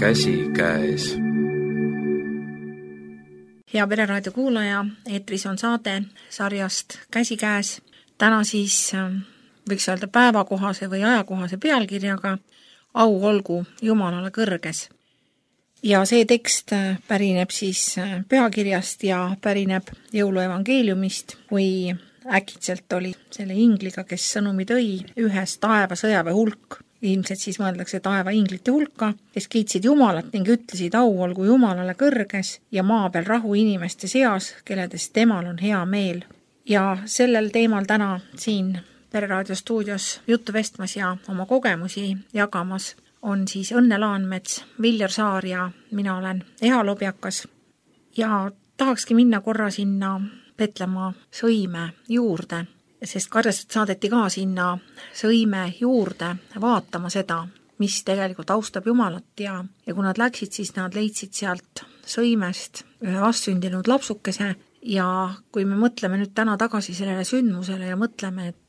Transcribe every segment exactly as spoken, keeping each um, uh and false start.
käsikäes. Hea Pereraadio kuulaja, eetris on saade sarjast Käsikäes. Täna siis võiks öelda päevakohase või ajakohase pealkirjaga Au olgu Jumalale kõrges. Ja see tekst pärineb siis pühakirjast ja pärineb jõuluevangeeliumist, kui äkitselt oli selle ingliga, kes sõnumi tõi, ühes taeva sõjaväe hulk. Ilmselt siis mõeldakse taeva inglite hulka, kes kiitsid Jumalat ning ütlesid au olgu Jumalale kõrges ja maa peal rahu inimeste seas, kelledest temal on hea meel. Ja sellel teemal täna siin Pereraadio stuudios juttu vestmas ja oma kogemusi jagamas on siis Õnne Laanmets, Viljar Saar ja mina olen Eha Lobjakas. Ja tahakski minna korra sinna Petlemma Sõime juurde, sest karjased saadeti ka sinna Sõime juurde vaatama seda, mis tegelikult austab Jumalat ja, ja kui nad läksid, siis nad leidsid sealt Sõimest ühe vastsündinud lapsukese ja kui me mõtleme nüüd täna tagasi sellele sündmusele ja mõtleme, et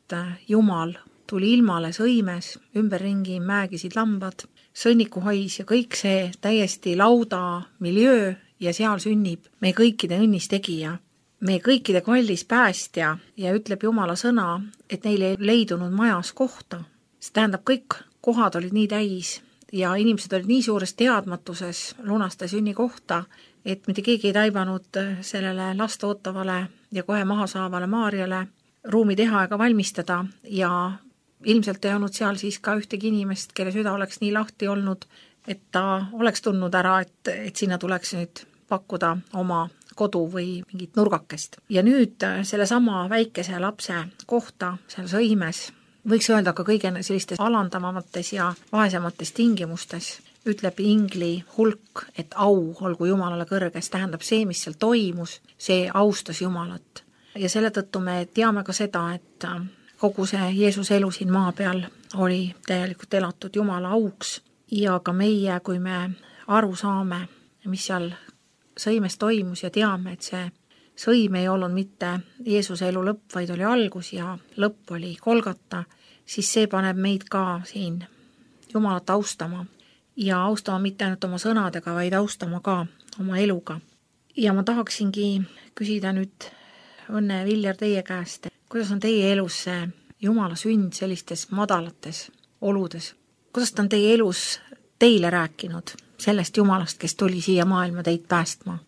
Jumal tuli ilmale Sõimes, ümberringi määgisid lambad, sõnnikuhais ja kõik see täiesti lauda miljöö ja seal sünnib meie kõikide õnnistegija. Meie kõikide kallis päästja ja ütleb Jumala sõna, et neil ei leidunud majas kohta. See tähendab, kõik kohad olid nii täis ja inimesed olid nii suures teadmatuses lunaste sünni kohta, et mitte keegi ei taibanud sellele last ootavale ja kohe maha saavale Maarjale ruumi teha ega valmistada ja ilmselt ei olnud seal siis ka ühtegi inimest, kelle süda oleks nii lahti olnud, et ta oleks tundnud ära, et, et sinna tuleks nüüd pakkuda oma kodu või mingit nurgakest. Ja nüüd selle sama väikese lapse kohta seal Sõimes, võiks öelda ka kõige sellistes alandamamates ja vaesemates tingimustes, ütleb ingli hulk, et au olgu Jumalale kõrges, tähendab see, mis seal toimus, see austas Jumalat. Ja selle tõttu me teame ka seda, et kogu see Jeesuse elu siin maa peal oli täielikult elatud Jumala auks ja ka meie, kui me aru saame, mis seal Sõimes toimus ja teame, et see Sõim ei olnud mitte Jeesuse elu lõpp, vaid oli algus ja lõpp oli Kolgata, siis see paneb meid ka siin Jumalat austama ja austama mitte ainult oma sõnadega, vaid austama ka oma eluga. Ja ma tahaksingi küsida nüüd Õnne Viljar teie käest, kuidas on teie elus see Jumala sünd sellistes madalates oludes? Kuidas ta on teie elus teile rääkinud sellest Jumalast, kes tuli siia maailma teid päästma?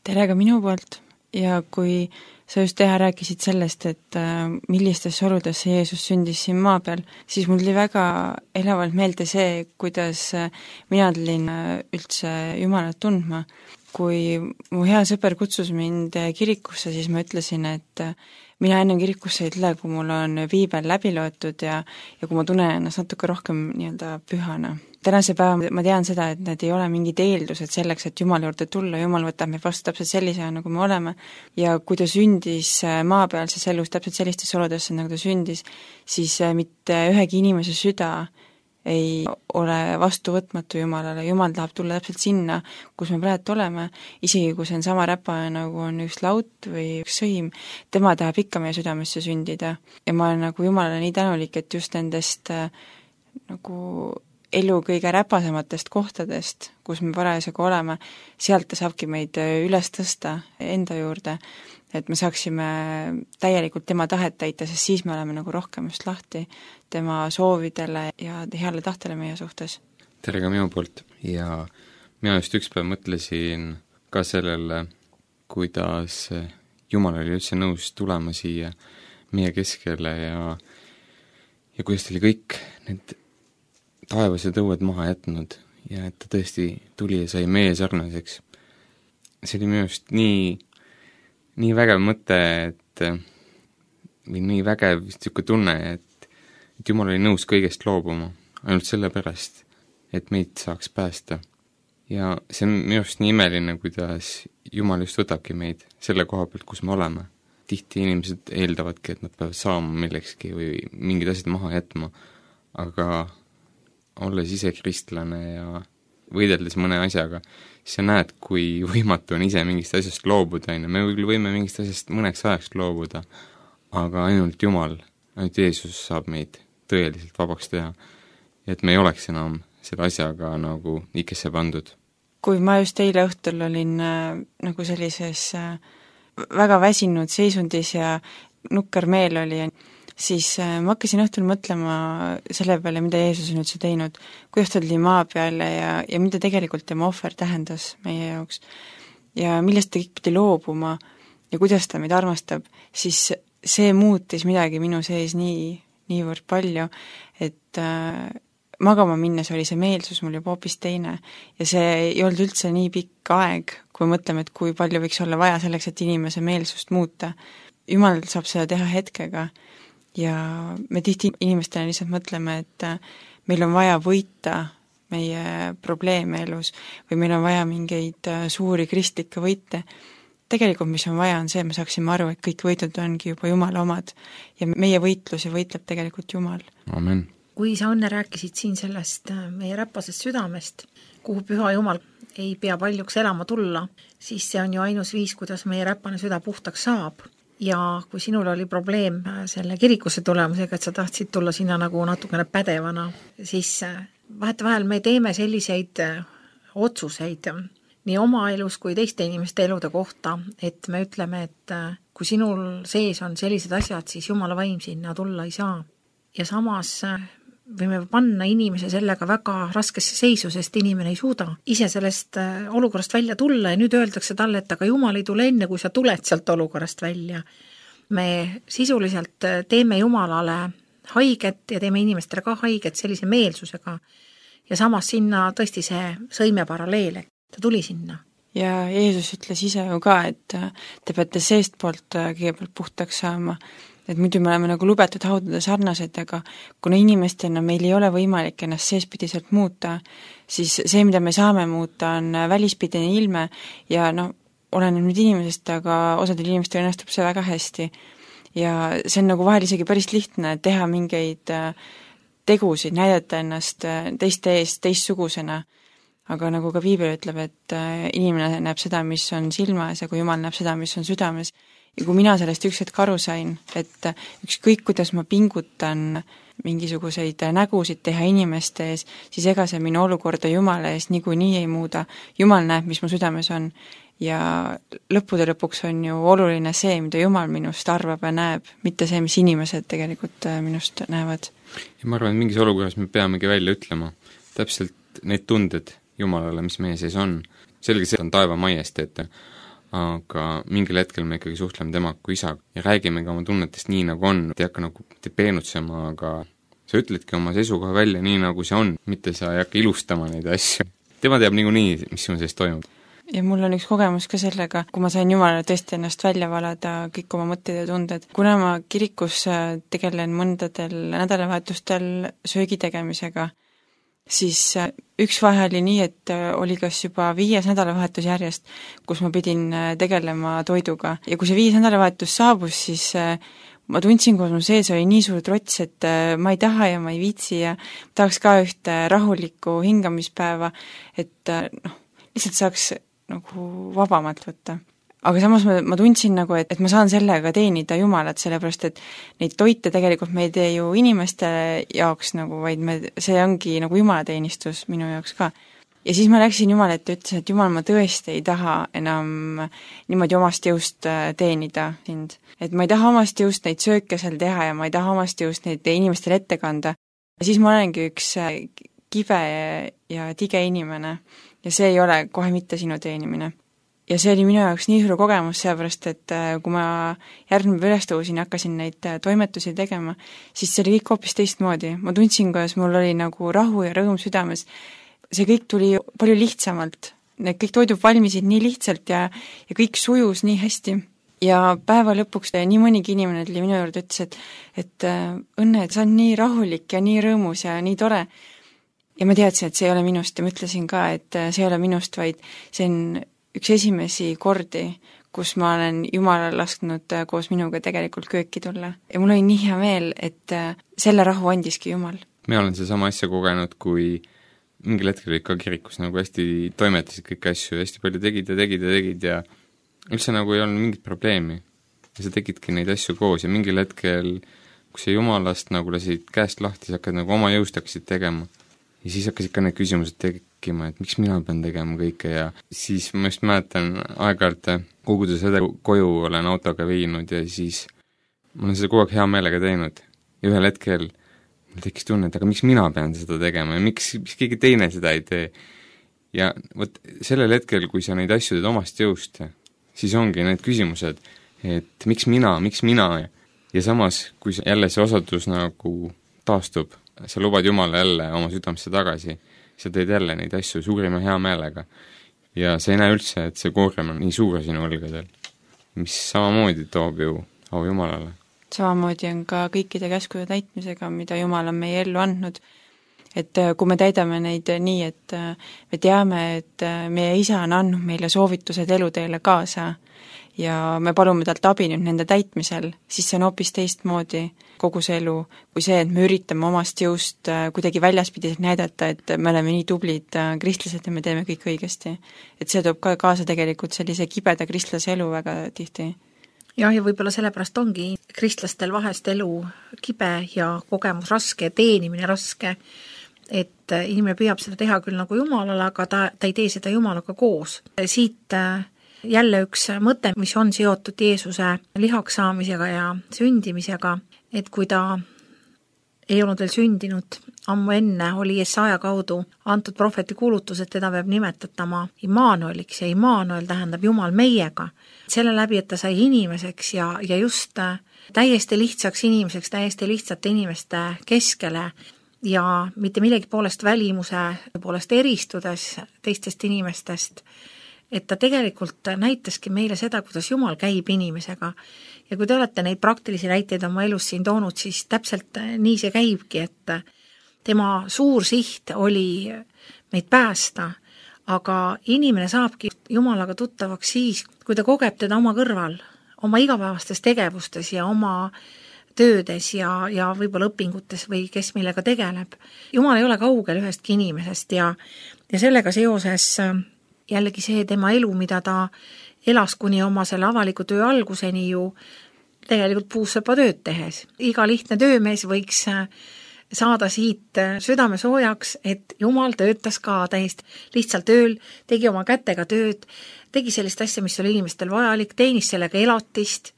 Tere ka minu poolt ja kui sa just teha rääkisid sellest, et millistes oludes see Jeesus sündis siin maa peal, siis mul tuli väga elavalt meelde see, kuidas mina tulin üldse Jumalat tundma. Kui mu hea sõber kutsus mind kirikusse, siis ma ütlesin, et mina enne kirikusse ei tule, kui mul on viibel läbi loetud ja, ja kui ma tunnen ennast natuke rohkem nii-öelda pühana. Tänase päeva ma tean seda, et need ei ole mingid eeldused selleks, et Jumala juurde tulla. Jumal võtab meid vastu täpselt sellise, nagu me oleme. Ja kui ta sündis maapealses elus täpselt sellistes oludesse, nagu ta sündis, siis mitte ühegi inimese süda ei ole vastuvõtmatu Jumalale. Jumal tahab tulla täpselt sinna, kus me praegu oleme, isegi kui see on sama räpa, nagu on üks laut või üks sõim, tema tahab ikka meie südamesse sündida. Ja ma olen nagu Jumalale nii tänulik, et just nendest nagu elu kõige räpasematest kohtadest, kus me parasjagu oleme, sealt ta saabki meid üles tõsta enda juurde, et me saaksime täielikult tema tahet täita, sest siis me oleme nagu rohkem just lahti tema soovidele ja heale tahtele meie suhtes. Tere ka minu poolt ja mina just üks päev mõtlesin ka sellele, kuidas Jumal oli üldse nõus tulema siia meie keskele ja, ja kuidas ta oli kõik need taevased õued maha jätnud ja et ta tõesti tuli ja sai meie sarnaseks. See oli minu just nii nii vägev mõte, et või nii vägev siuke tunne, et, et Jumal oli nõus kõigest loobuma, ainult sellepärast, et meid saaks päästa. Ja see on minu arust nii imeline, kuidas Jumal just võtabki meid selle koha pealt, kus me oleme. Tihti inimesed eeldavadki, et nad peavad saama millekski või mingid asjad maha jätma, aga olles ise kristlane ja võideldes mõne asjaga, siis sa näed, kui võimatu on ise mingist asjast loobuda, me võime mingist asjast mõneks ajaks loobuda, aga ainult Jumal, ainult Jeesus saab meid tõeliselt vabaks teha, et me ei oleks enam selle asjaga nagu ikesse pandud. Kui ma just eile õhtul olin äh, nagu sellises äh, väga väsinud seisundis ja nukker meel oli, siis äh, ma hakkasin õhtul mõtlema selle peale, mida Jeesus on üldse teinud, kuidas ta tuli maa peale ja, ja mida tegelikult tema ohver tähendas meie jaoks. Ja millest ta kõik pidi loobuma ja kuidas ta meid armastab, siis see muutis midagi minu sees nii, niivõrd palju, et äh, magama minnes oli see meelsus mul juba hoopis teine ja see ei olnud üldse nii pikk aeg, kui mõtleme, et kui palju võiks olla vaja selleks, et inimese meelsust muuta. Jumal saab seda teha hetkega ja me tihti inimestena lihtsalt mõtleme, et meil on vaja võita meie probleeme elus või meil on vaja mingeid suuri kristlikke võite. Tegelikult, mis on vaja, on see, et me saaksime aru, et kõik võitud ongi juba Jumala omad ja meie võitlusi võitleb tegelikult Jumal. Amen. Kui sa, Õnne, rääkisid siin sellest meie räpasest südamest, kuhu Püha Jumal ei pea paljuks elama tulla, siis see on ju ainus viis, kuidas meie räpane süda puhtaks saab. Ja kui sinul oli probleem selle kirikusse tulemusega, et sa tahtsid tulla sinna nagu natukene pädevana, siis vahetevahel me teeme selliseid otsuseid nii oma elus kui teiste inimeste elude kohta, et me ütleme, et kui sinul sees on sellised asjad, siis Jumala vaim sinna tulla ei saa. Ja samas võime panna inimese sellega väga raskesse seisu, sest inimene ei suuda ise sellest olukorrast välja tulla ja nüüd öeldakse talle, et aga Jumal ei tule enne, kui sa tuled sealt olukorrast välja. Me sisuliselt teeme Jumalale haiget ja teeme inimestele ka haiget sellise meelsusega ja samas sinna tõesti see sõime paralleel, ta tuli sinna. Ja Jeesus ütles ise ju ka, et te peate seest poolt kõigepealt puhtaks saama, et muidu me oleme nagu lubetud haudade sarnased, aga kuna inimestena meil ei ole võimalik ennast seespidiselt muuta, siis see, mida me saame muuta, on välispidine ilme ja no, oleneb nüüd inimesest, aga osadel inimestel õnnestub see väga hästi. Ja see on nagu vahel isegi päris lihtne teha mingeid tegusid, näidata ennast teiste eest teistsugusena, aga nagu ka Piibel ütleb, et inimene näeb seda, mis on silmas ja kui Jumal näeb seda, mis on südames. Ja kui mina sellest üks hetk aru sain, et ükskõik, kuidas ma pingutan mingisuguseid nägusid teha inimeste ees, siis ega see minu olukorda Jumala ees niikuinii ei muuda. Jumal näeb, mis mu südames on ja lõppude lõpuks on ju oluline see, mida Jumal minust arvab ja näeb, mitte see, mis inimesed tegelikult minust näevad. Ja ma arvan, et mingis olukorras me peamegi välja ütlema täpselt neid tunded Jumalale, mis meie sees on. Selge see on taeva majesteet, aga mingil hetkel me ikkagi suhtleme temaga kui isa ja räägimegi oma tunnetest nii, nagu on, ei hakka nagu peenutsema, aga sa ütledki oma seisukoha välja nii, nagu see on, mitte sa ei hakka ilustama neid asju. Tema teab niikuinii, mis sinu sees toimub. Ja mul on üks kogemus ka sellega, kui ma sain Jumalale tõesti ennast välja valada kõik oma mõtted ja tunded. Kuna ma kirikus tegelen mõndadel nädalavahetustel söögi tegemisega, siis üks vahe oli nii, et oli kas juba viies nädalavahetus järjest, kus ma pidin tegelema toiduga. Ja kui see viies nädalavahetus saabus, siis ma tundsin, kui mu sees oli nii suur trots, et ma ei taha ja ma ei viitsi ja tahaks ka ühte rahulikku hingamispäeva, et noh, lihtsalt saaks nagu vabamalt võtta. Aga samas ma, ma tundsin nagu, et, et ma saan sellega teenida Jumalat, sellepärast et neid toite tegelikult me ei tee ju inimeste jaoks nagu, vaid me, see ongi nagu Jumalateenistus minu jaoks ka. Ja siis ma läksin Jumala ette ja ütlesin, et Jumal, ma tõesti ei taha enam niimoodi omast jõust teenida sind. Et ma ei taha omast jõust neid sööke seal teha ja ma ei taha omast jõust neid inimestele ette kanda. Ja siis ma olengi üks kibe ja tige inimene ja see ei ole kohe mitte sinu teenimine. Ja see oli minu jaoks nii suur kogemus, seepärast, et kui ma järgmine üles tõusin ja hakkasin neid toimetusi tegema, siis see oli kõik hoopis teistmoodi. Ma tundsin, kuidas mul oli nagu rahu ja rõõm südames. See kõik tuli palju lihtsamalt. Need kõik toidud valmisid nii lihtsalt ja, ja kõik sujus nii hästi. Ja päeva lõpuks nii mõnigi inimene tuli minu juurde ütles, et, et Õnne, et sa on nii rahulik ja nii rõõmus ja nii tore. Ja ma teadsin, et see ei ole minust ja ma ütlesin ka, et see ei ole minust, vaid see on üks esimesi kordi, kus ma olen Jumala lasknud koos minuga tegelikult kööki tulla. Ja mul oli nii hea meel, et selle rahu andiski Jumal. Me olen see sama asja kogenud, kui mingil hetkel olid ka kirikus nagu hästi toimetasid kõik asju, hästi palju tegid ja tegid ja tegid ja üldse nagu ei olnud mingit probleemi. Ja sa tegidki neid asju koos ja mingil hetkel, kui sa Jumalast nagu lasid käest lahti, sa hakkad nagu oma jõust hakkasid tegema. ja siis hakkasid ka need küsimused tekkima, et miks mina pean tegema kõike ja siis ma just mäletan aeg-ajalt kogudes õde koju olen autoga viinud ja siis ma olen seda kogu aeg hea meelega teinud ja ühel hetkel mul tekkis tunne, et aga miks mina pean seda tegema ja miks, miks keegi teine seda ei tee. Ja vot sellel hetkel, kui sa neid asju teed omast jõust, siis ongi need küsimused, et miks mina, miks mina ja, ja samas, kui jälle see osadus nagu taastub, sa lubad Jumala jälle oma südamesse tagasi, sa teed jälle neid asju suurima hea meelega ja sa ei näe üldse, et see koorem on nii suur sinu õlgadel, mis samamoodi toob ju au Jumalale. Samamoodi on ka kõikide käskude täitmisega, mida Jumal on meie ellu andnud, et kui me täidame neid nii, et me teame, et meie isa on andnud meile soovitused eluteele kaasa ja me palume talt abi nüüd nende täitmisel, siis see on hoopis teistmoodi kogu see elu, kui see, et me üritame omast jõust kuidagi väljaspidiselt näidata, et me oleme nii tublid kristlased ja me teeme kõik õigesti. Et see toob ka kaasa tegelikult sellise kibeda kristlase elu väga tihti. jah, ja võib-olla sellepärast ongi kristlastel vahest elu kibe ja kogemus raske, teenimine raske, et inimene püüab seda teha küll nagu Jumalale, aga ta, ta ei tee seda Jumalaga koos. Siit jälle üks mõte, mis on seotud Jeesuse lihaks saamisega ja sündimisega, et kui ta ei olnud veel sündinud, ammu enne oli Jesaja kaudu antud prohveti kuulutus, et teda peab nimetatama Immanueliks ja Immanuel tähendab Jumal meiega. Selle läbi, et ta sai inimeseks ja, ja just täiesti lihtsaks inimeseks, täiesti lihtsate inimeste keskele ja mitte millegi poolest välimuse poolest eristudes teistest inimestest, et ta tegelikult näitaski meile seda, kuidas Jumal käib inimesega. Ja kui te olete neid praktilisi näiteid oma elus siin toonud, siis täpselt nii see käibki, et tema suur siht oli meid päästa, aga inimene saabki Jumalaga tuttavaks siis, kui ta kogeb teda oma kõrval, oma igapäevastes tegevustes ja oma töödes ja, ja võib-olla õpingutes või kes millega tegeleb. Jumal ei ole kaugel ühestki inimesest ja, ja sellega seoses jällegi see tema elu, mida ta elas kuni oma selle avaliku töö alguseni ju tegelikult puussepa tööd tehes. Iga lihtne töömees võiks saada siit südame soojaks, et Jumal töötas ka täiesti lihtsalt tööl, tegi oma kätega tööd, tegi sellist asja, mis oli inimestel vajalik, teenis sellega elatist,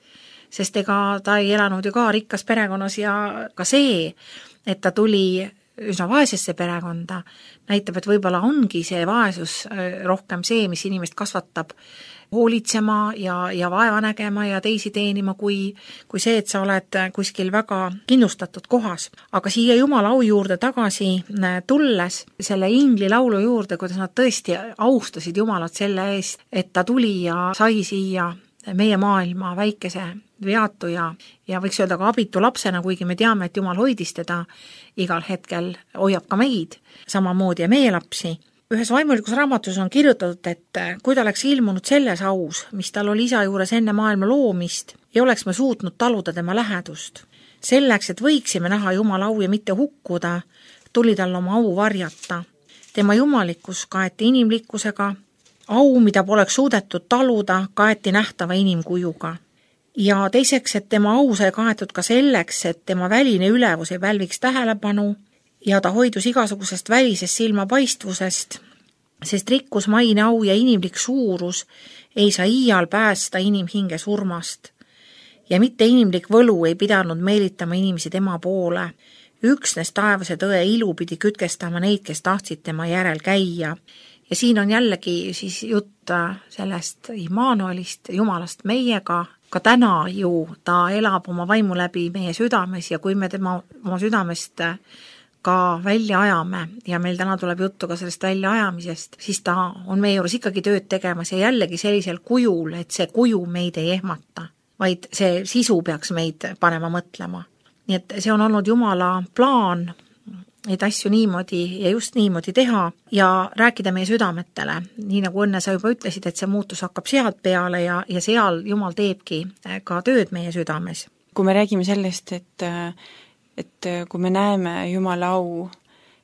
sest ega ta ei elanud ju ka rikkas perekonnas ja ka see, et ta tuli üsna vaesesse perekonda, näitab, et võib-olla ongi see vaesus rohkem see, mis inimest kasvatab hoolitsema ja, ja vaeva nägema ja teisi teenima, kui, kui see, et sa oled kuskil väga kindlustatud kohas. Aga siia Jumala au juurde tagasi tulles, selle ingli laulu juurde, kuidas nad tõesti austasid Jumalat selle eest, et ta tuli ja sai siia meie maailma väikese veatu ja, ja võiks öelda ka abitu lapsena, kuigi me teame, et Jumal hoidis teda igal hetkel, hoiab ka meid, samamoodi ja meie lapsi. Ühes vaimulikus raamatus on kirjutatud, et kui ta oleks ilmunud selles aus, mis tal oli isa juures enne maailma loomist, ei oleks me suutnud taluda tema lähedust. Selleks, et võiksime näha Jumala au ja mitte hukkuda, tuli tal oma au varjata. Tema jumalikkus kaeti inimlikkusega, au, mida poleks suudetud taluda, kaeti nähtava inimkujuga. Ja teiseks, et tema au sai kaetud ka selleks, et tema väline ülevus ei pälviks tähelepanu ja ta hoidus igasugusest välisest silmapaistvusest, sest rikkus, maine, au ja inimlik suurus ei saa iial päästa inimhinge surmast. Ja mitte inimlik võlu ei pidanud meelitama inimesi tema poole. Üksnes taevase tõe ilu pidi kütkestama neid, kes tahtsid tema järel käia. Ja siin on jällegi siis jutt sellest Immanuelist, Jumalast meiega. Ka täna ju ta elab oma vaimu läbi meie südames ja kui me tema oma südamest ka välja ajame ja meil täna tuleb juttu ka sellest välja ajamisest, siis ta on meie juures ikkagi tööd tegemas ja jällegi sellisel kujul, et see kuju meid ei ehmata, vaid see sisu peaks meid panema mõtlema. Nii et see on olnud Jumala plaan neid asju niimoodi ja just niimoodi teha ja rääkida meie südametele. Nii nagu õnne sa juba ütlesid, et see muutus hakkab sealt peale ja, ja seal Jumal teebki ka tööd meie südames. Kui me räägime sellest, et, et kui me näeme Jumala au,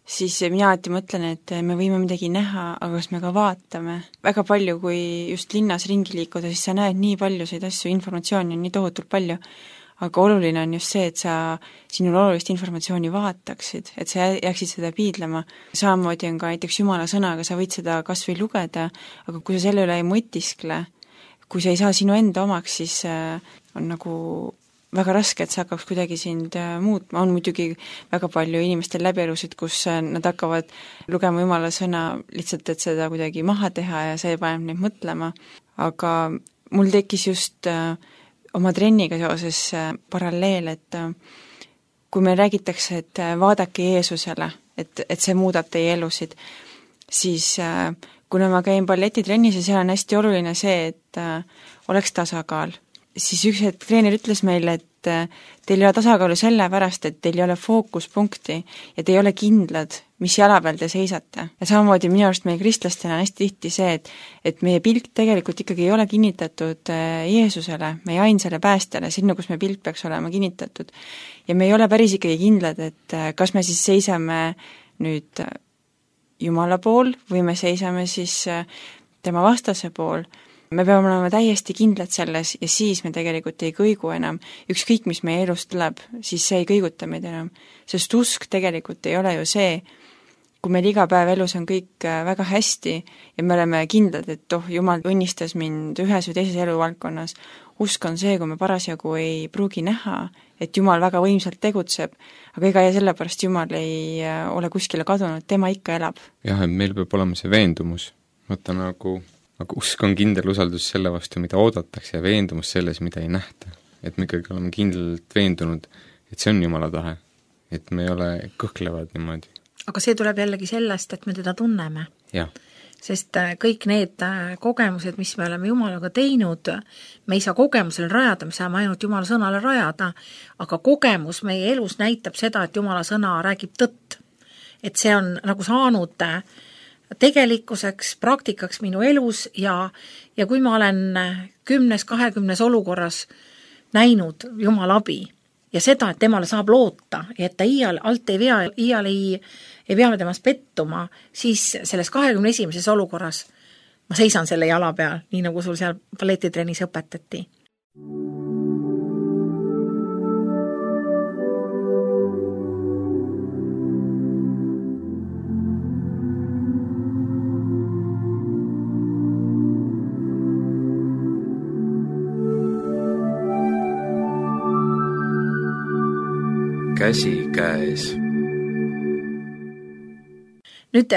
siis mina alati mõtlen, et me võime midagi näha, aga kas me ka vaatame. Väga palju, kui just linnas ringi liikuda, siis sa näed nii paljusid asju, informatsiooni on nii tohutult palju, aga oluline on just see, et sa sinul olulist informatsiooni vaataksid, et sa jääksid seda piidlema. Samamoodi on ka näiteks Jumala sõnaga, sa võid seda kas või lugeda, aga kui sa selle üle ei mõtiskle, kui sa ei saa sinu enda omaks, siis on nagu väga raske, et see hakkaks kuidagi sind muutma. On muidugi väga palju inimestel läbielusid, kus nad hakkavad lugema Jumala sõna lihtsalt, et seda kuidagi maha teha ja see paneb neid mõtlema, aga mul tekkis just oma trenniga seoses paralleel, et kui meil räägitakse, et vaadake Jeesusele, et, et see muudab teie elusid, siis kuna ma käin balletitrennis ja seal on hästi oluline see, et oleks tasakaal, siis üks hetk treener ütles meile, et teil ei ole tasakaalu sellepärast, et teil ei ole fookuspunkti ja te ei ole kindlad, mis jala peal te seisate. Ja samamoodi minu arust meie kristlastena on hästi tihti see, et, et meie pilk tegelikult ikkagi ei ole kinnitatud Jeesusele, meie ainsale päästjale, sinna, kus meie pilk peaks olema kinnitatud. Ja me ei ole päris ikkagi kindlad, et kas me siis seisame nüüd Jumala pool või me seisame siis tema vastase pool. Me peame olema täiesti kindlad selles ja siis me tegelikult ei kõigu enam. Ükskõik, mis meie elust tuleb, siis see ei kõiguta meid enam. Sest usk tegelikult ei ole ju see, kui meil iga päev elus on kõik väga hästi ja me oleme kindlad, et oh, Jumal õnnistas mind ühes või teises eluvaldkonnas. Usk on see, kui me parasjagu ei pruugi näha, et Jumal väga võimsalt tegutseb, aga ega ja sellepärast Jumal ei ole kuskile kadunud, tema ikka elab. Jah, et meil peab olema see veendumus. Mõtta nagu aga usk on kindel usaldus selle vastu, mida oodatakse ja veendumus selles, mida ei nähta. Et me ikkagi oleme kindlalt veendunud, et see on Jumala tahe. Et me ei ole kõhklevad niimoodi. Aga see tuleb jällegi sellest, et me teda tunneme. Ja. Sest kõik need kogemused, mis me oleme Jumalaga teinud, me ei saa kogemusel rajada, me saame ainult Jumala sõnale rajada, aga kogemus meie elus näitab seda, et Jumala sõna räägib tõtt. Et see on nagu saanud tegelikkuseks, praktikaks minu elus ja, ja kui ma olen kümnes, kahekümnes olukorras näinud Jumala abi ja seda, et temale saab loota ja et ta iial alt ei vea, iial ei, ei pea temast pettuma, siis selles kahekümne esimeses olukorras ma seisan selle jala peal, nii nagu sul seal balletitrennis õpetati. Käsi käes. Nüüd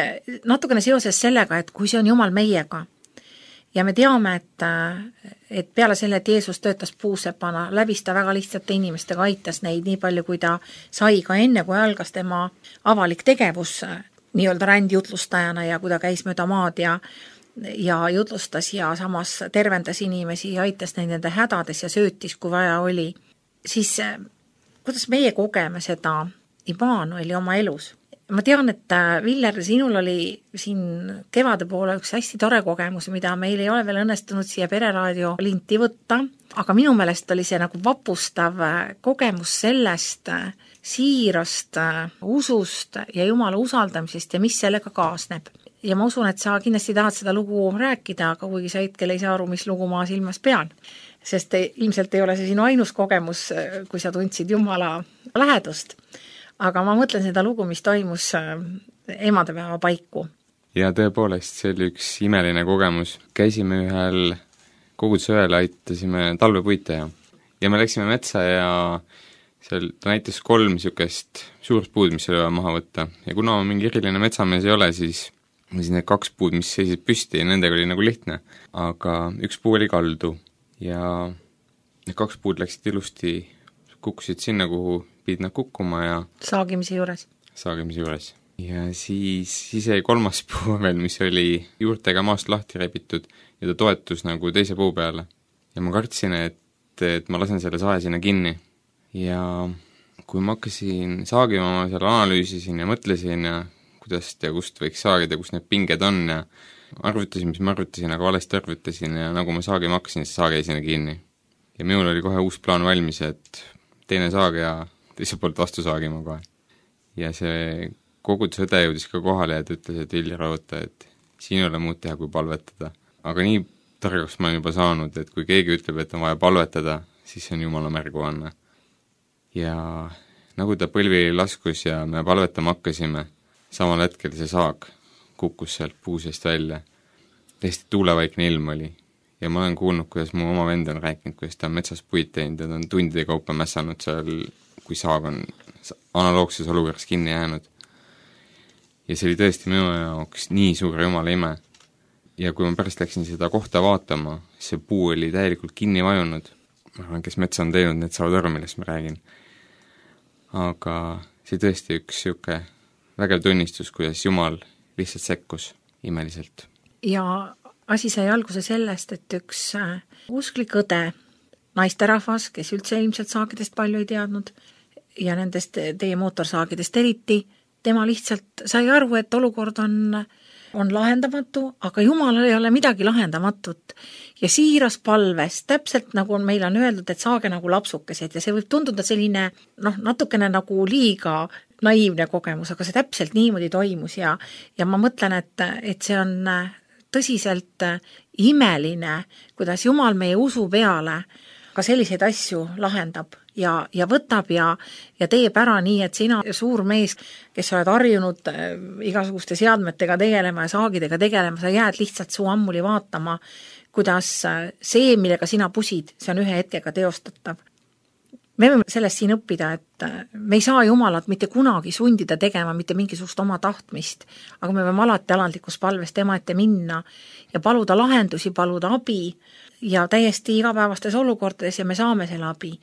natukene seoses sellega, et kui see on Jumal meiega ja me teame, et, et peale selle, et Jeesus töötas puusepana, läbis ta väga lihtsate inimestega, aitas neid nii palju, kui ta sai ka enne, kui algas tema avalik tegevus nii-öelda rändjutlustajana ja kui ta käis mööda maad ja, ja jutlustas ja samas tervendas inimesi ja aitas neid nende hädades ja söötis, kui vaja oli, siis kuidas meie kogeme seda Immanueli oma elus? Ma tean, et Viljar, sinul oli siin kevade poole üks hästi tore kogemus, mida meil ei ole veel õnnestunud siia Pereraadio linti võtta, aga minu meelest oli see nagu vapustav kogemus sellest siirast usust ja Jumala usaldamisest ja mis sellega kaasneb. Ja ma usun, et sa kindlasti tahad seda lugu rääkida, aga kuigi sa hetkel ei saa aru, mis lugu ma silmas pean. Sest te, ilmselt ei ole see sinu ainus kogemus, kui sa tundsid Jumala lähedust. Aga ma mõtlen seda lugu, mis toimus emadepäeva paiku. Ja tõepoolest, see oli üks imeline kogemus. Käisime ühel kogudusööl, aitasime talvepuite ja, ja me läksime metsa ja seal ta näitas kolm niisugust suurt puud, mis oli vaja maha võtta. Ja kuna ma mingi eriline metsamees ei ole, siis, siis need kaks puud, mis seisid püsti, nendega oli nagu lihtne. Aga üks puu oli kaldu ja need kaks puud läksid ilusti, kukkusid sinna, kuhu pidid nad kukkuma ja saagimise juures. Saagimise juures. Ja siis, siis jäi kolmas puu veel, mis oli juurtega maast lahti rebitud ja ta toetus nagu teise puu peale. Ja ma kartsin, et, et ma lasen selle sae sinna kinni. Ja kui ma hakkasin saagima, ma seal analüüsisin ja mõtlesin ja kuidas ja kust võiks saagida, kus need pinged on ja arvutasin, mis ma arvutasin, aga valesti arvutasin ja nagu ma saagima hakkasin, siis saag jäi sinna kinni. Ja minul oli kohe uus plaan valmis, et teine saag ja teiselt poolt vastu saagima kohe. Ja see kogudusõde jõudis ka kohale ja ta ütles, et Viljar oota, et siin ei ole muud teha, kui palvetada. Aga nii targaks ma olen juba saanud, et kui keegi ütleb, et on vaja palvetada, siis see on Jumala märguanne. ja nagu ta põlvili laskus ja me palvetama hakkasime, samal hetkel see saag kukkus sealt puu seest välja. Täiesti tuulevaikne ilm oli ja ma olen kuulnud, kuidas mu oma vend on rääkinud, kuidas ta on metsas puid teinud ja ta on tundide kaupa mässanud seal, kui saag on analoogses olukorras kinni jäänud. Ja see oli tõesti minu jaoks nii suur jumala ime. Ja kui ma pärast läksin seda kohta vaatama, see puu oli täielikult kinni vajunud. Ma arvan, kes metsa on teinud, need saavad aru, millest ma räägin. Aga see tõesti üks siuke vägev tunnistus, kuidas Jumal lihtsalt sekkus imeliselt. Ja asi sai alguse sellest, et üks usklik õde, naisterahvas, kes üldse ilmselt saagidest palju ei teadnud ja nendest teie mootorsaagidest eriti, tema lihtsalt sai aru, et olukord on, on lahendamatu, aga Jumalal ei ole midagi lahendamatut. Ja siiras palves, täpselt nagu on, meil on öeldud, et saage nagu lapsukesed ja see võib tunduda selline noh, natukene nagu liiga naiivne kogemus, aga see täpselt niimoodi toimus ja, ja ma mõtlen, et, et see on tõsiselt imeline, kuidas Jumal meie usu peale ka selliseid asju lahendab ja, ja võtab ja, ja teeb ära nii, et sina suur mees, kes oled harjunud igasuguste seadmetega tegelema ja saagidega tegelema, sa jääd lihtsalt suu ammuli vaatama, kuidas see, millega sina pusid, see on ühe hetkega teostatav. Me võime sellest siin õppida, et me ei saa Jumalat mitte kunagi sundida tegema mitte mingisugust oma tahtmist, aga me võime alati alandlikus palves tema ette minna ja paluda lahendusi, paluda abi ja täiesti igapäevastes olukordades ja me saame selle abi.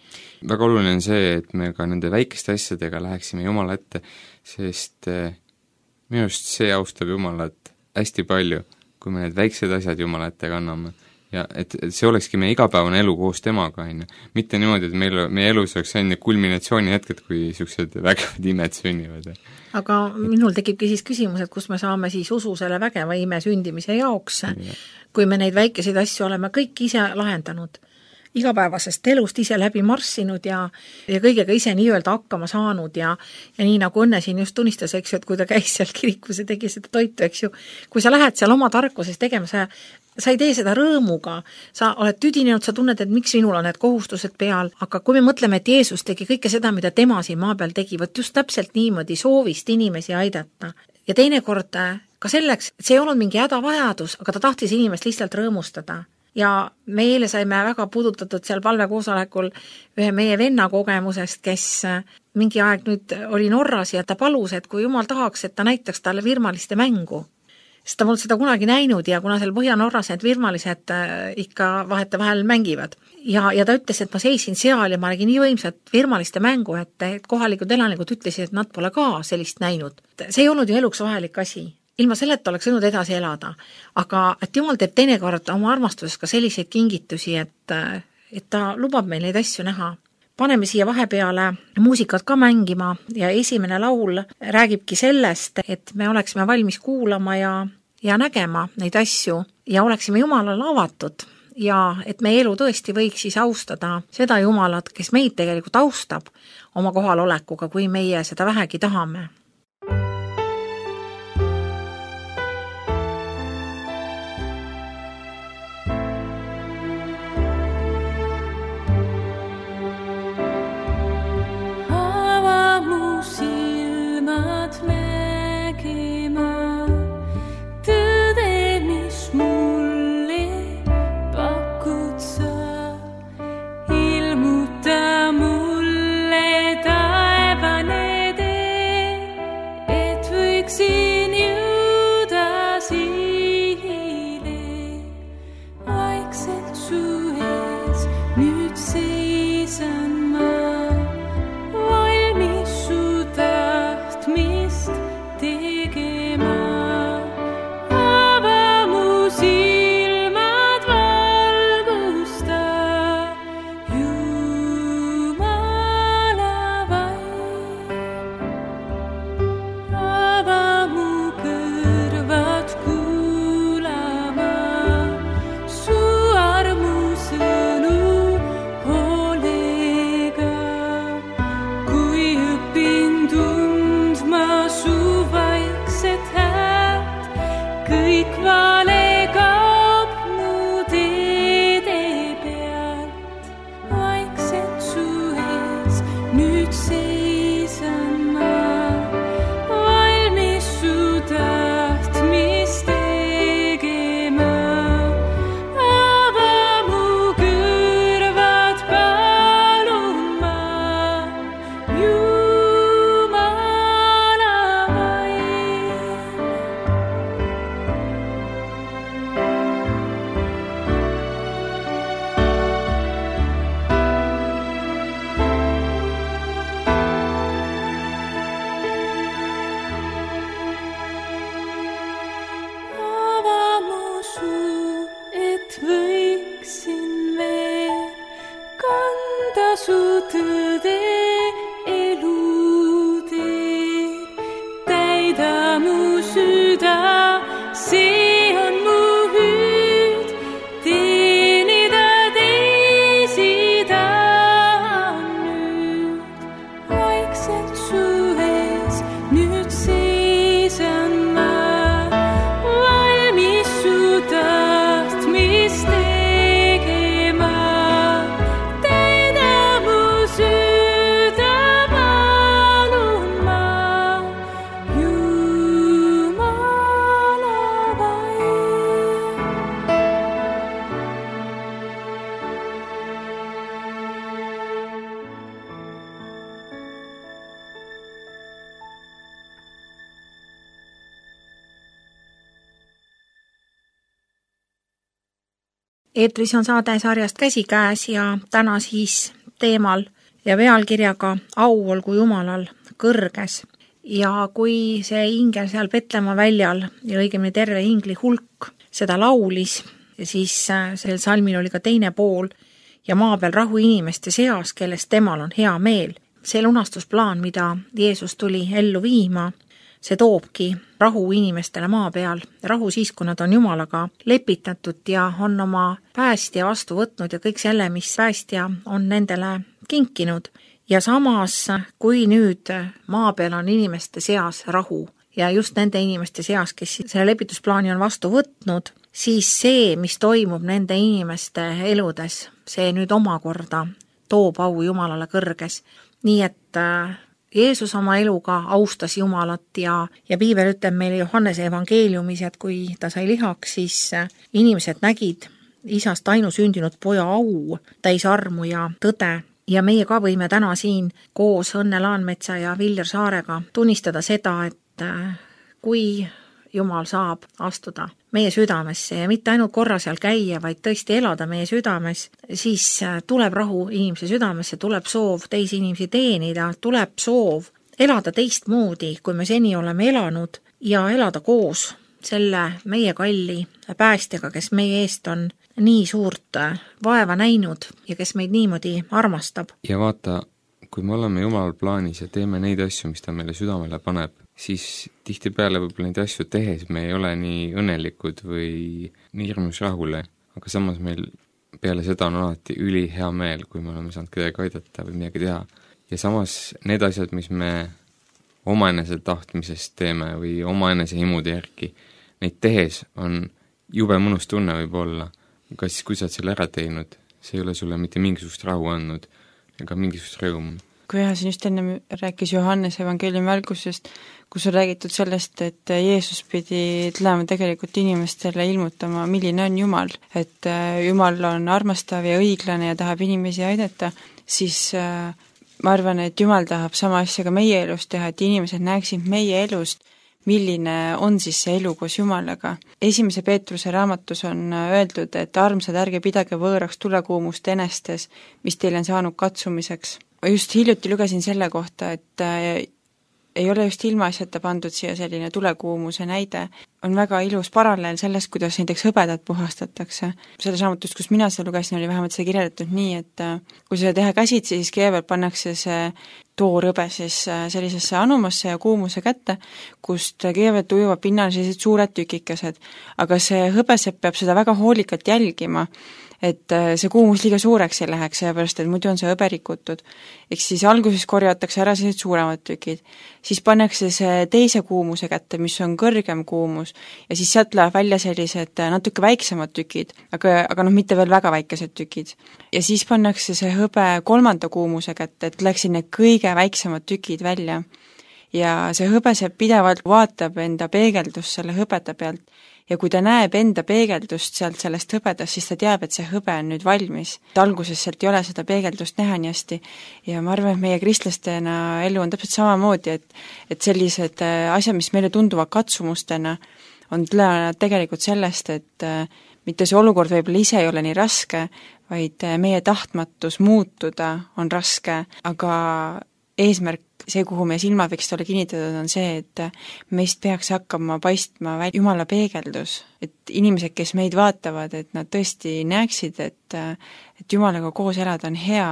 Väga oluline on see, et me ka nende väikeste asjadega läheksime Jumala ette, sest minu arust see austab Jumalat hästi palju, kui me need väiksed asjad Jumala ette kanname. Ja et, et see olekski meie igapäevane elu koos temaga, on ju. Mitte niimoodi, et meil, meie elus oleks enne kulminatsiooni hetked, kui niisugused vägevad imed sünnivad. Aga minul tekibki siis küsimus, et kus me saame siis usu selle vägeva ime sündimise jaoks, ja. Kui me neid väikeseid asju oleme kõik ise lahendanud, igapäevasest elust ise läbi marssinud ja, ja kõigega ise nii-öelda hakkama saanud ja, ja nii nagu Õnne siin just tunnistas, eks ju, et kui ta käis seal kirikus ja tegi seda toitu, eks ju, kui sa lähed seal oma tarkuses tegema, sa sa ei tee seda rõõmuga, sa oled tüdinenud, sa tunned, et miks minul on need kohustused peal, aga kui me mõtleme, et Jeesus tegi kõike seda, mida tema siin maa peal tegi, võt just täpselt niimoodi soovist inimesi aidata. Ja teinekord ka selleks, et see ei olnud mingi hädavajadus, aga ta tahtis inimest lihtsalt rõõmustada. Ja meile saime väga puudutatud seal palvekoosolekul ühe meie venna kogemusest, kes mingi aeg nüüd oli Norras ja ta palus, et kui Jumal tahaks, et ta näitaks talle virmaliste mängu. Sest ta polnud seda kunagi näinud ja kuna seal Põhja-Norras need virmalised ikka vahete vahel mängivad. Ja, ja ta ütles, et ma seisin seal ja ma nägin nii võimsat virmaliste mängu, et, et kohalikud elanikud ütlesid, et nad pole ka sellist näinud. See ei olnud ju eluks vajalik asi. Ilma selleta oleks võinud edasi elada. Aga et Jumal teeb teinekord oma armastuses ka selliseid kingitusi, et, et ta lubab meil neid asju näha. Paneme siia vahepeale muusikat ka mängima ja esimene laul räägibki sellest, et me oleksime valmis kuulama ja, ja nägema neid asju ja oleksime Jumalale avatud ja et meie elu tõesti võiks siis austada seda Jumalat, kes meid tegelikult austab oma kohalolekuga, kui meie seda vähegi tahame. Ava eetris on saade sarjast Käsikäes ja täna siis teemal ja pealkirjaga Au olgu Jumalal kõrges. Ja kui see ingel seal Petlemma väljal ja õigemini terve ingli hulk seda laulis, siis sellel salmil oli ka teine pool ja maa peal rahu inimeste seas, kellest temal on hea meel. See lunastusplaan, mida Jeesus tuli ellu viima, see toobki rahu inimestele maa peal. Rahu siis, kui nad on Jumalaga lepitatud ja on oma päästja vastu võtnud ja kõik selle, mis päästja on nendele kinkinud. Ja samas, kui nüüd maa peal on inimeste seas rahu ja just nende inimeste seas, kes selle lepitusplaani on vastu võtnud, siis see, mis toimub nende inimeste eludes, see nüüd omakorda toob au Jumalale kõrges. Nii et Jeesus oma eluga austas Jumalat ja, ja Piibel ütleb meile Johannese evangeeliumis, et kui ta sai lihaks, siis inimesed nägid isast ainusündinud poja au, täis armu ja tõde. Ja meie ka võime täna siin koos Õnne Laanmetsa ja Viljar Saarega tunnistada seda, et kui Jumal saab astuda meie südamesse ja mitte ainult korra seal käia, vaid tõesti elada meie südames, siis tuleb rahu inimese südamesse, tuleb soov teisi inimesi teenida, tuleb soov elada teistmoodi, kui me seni oleme elanud ja elada koos selle meie kalli päästjaga, kes meie eest on nii suurt vaeva näinud ja kes meid niimoodi armastab. Ja vaata, kui me oleme Jumalal plaanis ja teeme neid asju, mis ta meile südamele paneb, siis tihtipeale võib-olla neid asju tehes me ei ole nii õnnelikud või nii hirmus rahule, aga samas meil peale seda on alati üli hea meel, kui me oleme saanud kedagi aidata või midagi teha. Ja samas need asjad, mis me omaenese tahtmisest teeme või omaenese himude järgi, neid tehes on jube mõnus tunne võib-olla, aga siis kui sa oled selle ära teinud, see ei ole sulle mitte mingisugust rahu andnud ega mingisugust rõõmu. Kui jah, siin just enne rääkis Johannes evangeeliumi algusest, kus on räägitud sellest, et Jeesus pidi tulema tegelikult inimestele ilmutama, milline on Jumal, et Jumal on armastav ja õiglane ja tahab inimesi aidata, siis ma arvan, et Jumal tahab sama asja ka meie elust teha, et inimesed näeksid meie elust, milline on siis see elu koos Jumalaga. Esimese Peetruse raamatus on öeldud, et armsad, ärge pidage võõraks tulekuumust enestes, mis teil on saanud katsumiseks. Just hiljuti lugesin selle kohta, et ei ole just ilmaasjata pandud siia selline tulekuumuse näide. On väga ilus paralleel sellest, kuidas näiteks hõbedat puhastatakse. Selles raamatust, kus mina seda lugesin, oli vähemalt see kirjeldatud nii, et kui seda teha käsitsi, siis kõigepealt pannakse see toorhõbe siis sellisesse anumasse ja kuumuse kätte, kust kõigepealt ujuvad pinnal sellised suured tükikesed. Aga see hõbesepp peab seda väga hoolikalt jälgima, et see kuumus liiga suureks ei läheks, sellepärast, et muidu on see hõbe rikutud. Eks siis alguses korjatakse ära sellised suuremad tükid. Siis pannakse see teise kuumuse kätte, mis on kõrgem kuumus, ja siis sealt läheb välja sellised natuke väiksemad tükid, aga, aga noh, mitte veel väga väikesed tükid. Ja siis pannakse see hõbe kolmanda kuumuse kätte, et läksid need kõige väiksemad tükid välja. Ja see hõbesepp pidevalt vaatab enda peegeldust selle hõbeda pealt, ja kui ta näeb enda peegeldust sealt sellest hõbedast, siis ta teab, et see hõbe on nüüd valmis. Alguses sealt ei ole seda peegeldust näha nii hästi ja ma arvan, et meie kristlastena elu on täpselt samamoodi, et, et sellised asjad, mis meile tunduvad katsumustena, on tulenevad tegelikult sellest, et mitte see olukord võib-olla ise ei ole nii raske, vaid meie tahtmatus muutuda on raske, aga eesmärk, see, kuhu meie silmad võiksid olla kinnitatud, on see, et meist peaks hakkama paistma välja Jumala peegeldus, et inimesed, kes meid vaatavad, et nad tõesti näeksid, et, et Jumalaga koos elada on hea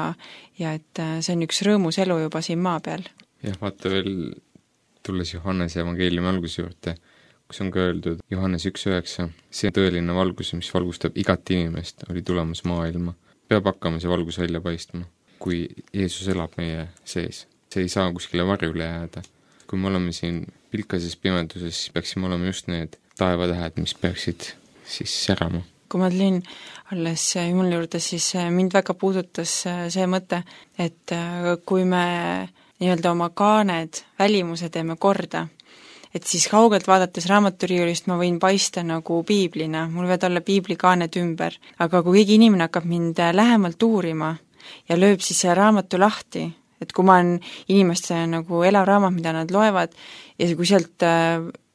ja et see on üks rõõmus elu juba siin maa peal. Jah, vaata veel, tulles Johannese evangeeliumi alguse juurde, kus on ka öeldud Johannes üks üheksa, see tõeline valgus, mis valgustab igat inimest, oli tulemas maailma. Peab hakkama see valgus välja paistma, kui Jeesus elab meie sees. See ei saa kuskile varjule jääda. Kui me oleme siin pilkases pimeduses, siis peaksime olema just need taevatähed, mis peaksid siis särama. Kui ma tulin alles Jumala juurde, siis mind väga puudutas see mõte, et kui me nii-öelda oma kaaned, välimuse teeme korda, et siis kaugelt vaadates raamaturiiulist ma võin paista nagu piiblina, mul võivad olla piiblikaaned ümber, aga kui keegi inimene hakkab mind lähemalt uurima ja lööb siis selle raamatu lahti, et kui ma olen inimeste nagu elav raamat, mida nad loevad, ja kui sealt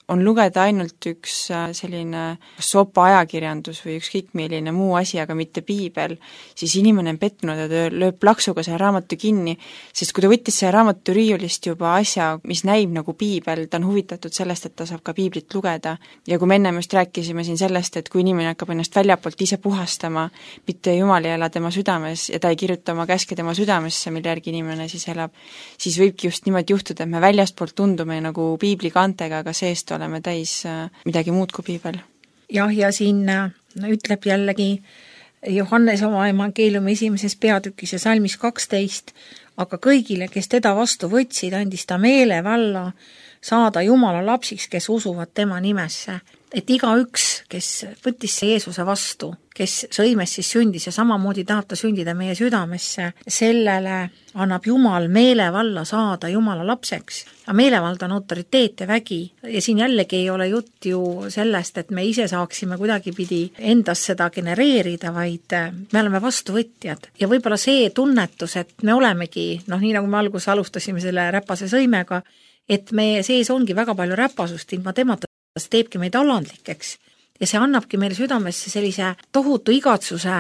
on lugeda ainult üks selline sopa ajakirjandus või ükskõik milline muu asi, aga mitte piibel, siis inimene on pettunud ja ta lööb plaksuga selle raamatu kinni, sest kui ta võttis selle raamatu riiulist juba asja, mis näib nagu piibel, ta on huvitatud sellest, et ta saab ka piiblit lugeda. Ja kui me ennem just rääkisime siin sellest, et kui inimene hakkab ennast väljapoolt ise puhastama, mitte Jumal ei ela tema südames ja ta ei kirjuta oma käske tema südamesse, mille järgi inimene siis elab, siis võibki just niimoodi juhtuda, et me väljastpoolt tundume nagu piibli kantega, aga seest oleme täis midagi muud kui piibel. jah, ja siin ütleb jällegi Johannes oma evangeeliumi esimeses peatükis ja salmis kaksteist, aga kõigile, kes teda vastu võtsid, andis ta meelevalla saada Jumala lapsiks, kes usuvad tema nimesse. Et igaüks, kes võttis Jeesuse vastu, kes sõimes siis sündis ja samamoodi tahab ta sündida meie südamesse, sellele annab Jumal meelevalla saada Jumala lapseks. Ja meelevald on autoriteet ja vägi. Ja siin jällegi ei ole jutt ju sellest, et me ise saaksime kuidagi pidi endas seda genereerida, vaid me oleme vastuvõtjad. Ja võib-olla see tunnetus, et me olemegi, noh nii nagu me alguses alustasime selle räpase sõimega, et meie sees ongi väga palju räpasust, ilma temata see teebki meid alandlikeks ja see annabki meile südamesse sellise tohutu igatsuse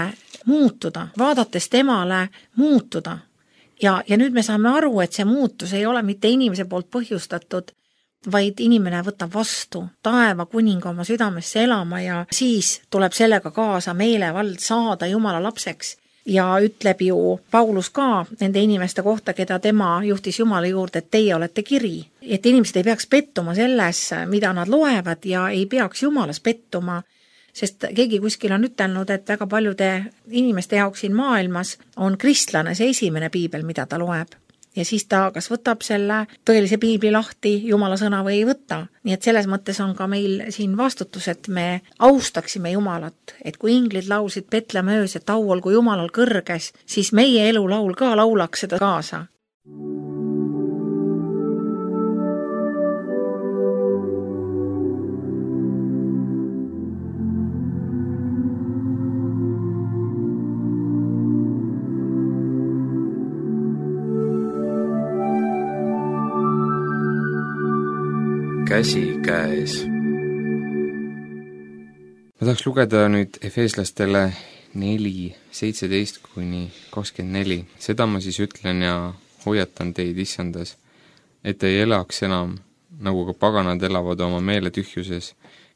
muutuda, vaadates temale muutuda. Ja, ja nüüd me saame aru, et see muutus ei ole mitte inimese poolt põhjustatud, vaid inimene võtab vastu taeva kuninga oma südamesse elama ja siis tuleb sellega kaasa meelevald saada Jumala lapseks. Ja ütleb ju Paulus ka nende inimeste kohta, keda tema juhtis Jumala juurde, et teie olete kiri. Et inimesed ei peaks pettuma selles, mida nad loevad ja ei peaks Jumalas pettuma, sest keegi kuskil on ütelnud, et väga paljude inimeste jaoks siin maailmas on kristlane see esimene piibel, mida ta loeb. Ja siis ta kas võtab selle tõelise piibli lahti Jumala sõna või ei võta. Nii et selles mõttes on ka meil siin vastutus, et me austaksime Jumalat. Et kui inglid laulsid Betlemme öös, et au olgu Jumalal kõrges, siis meie elulaul ka laulaks seda kaasa. käsi käes. Ma tahaks lugeda nüüd Efeeslastele neli, seitseteist kuni kakskümmend neli. Seda ma siis ütlen ja hoiatan teid issandas, et ei elaks enam, nagu ka paganad elavad oma meele tühjuses,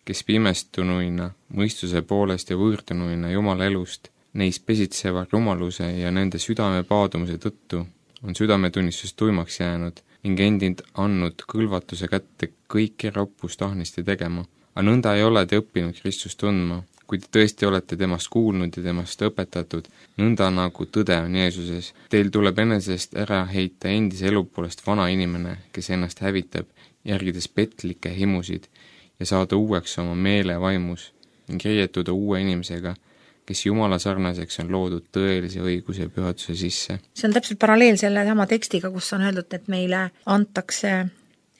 kes pimestunuina, mõistuse poolest ja võõrdunuina Jumala elust, neis pesitseva rumaluse ja nende südame paadumuse tõttu on südametunnistus tuimaks jäänud ning endid andnud kõlvatuse kätte kõiki roppust ahnisti tegema. Aga nõnda ei ole te õppinud Kristust tundma, kui te tõesti olete temast kuulnud ja temast õpetatud, nõnda nagu tõde on Jeesuses. Teil tuleb enesest ära heita endise elu poolest vana inimene, kes ennast hävitab, järgides petlikke himusid ja saada uueks oma meele vaimus ning riietuda uue inimesega, kes Jumala sarnaseks on loodud tõelise õiguse ja pühaduse sisse. See on täpselt paralleel selle sama tekstiga, kus on öeldud, et meile antakse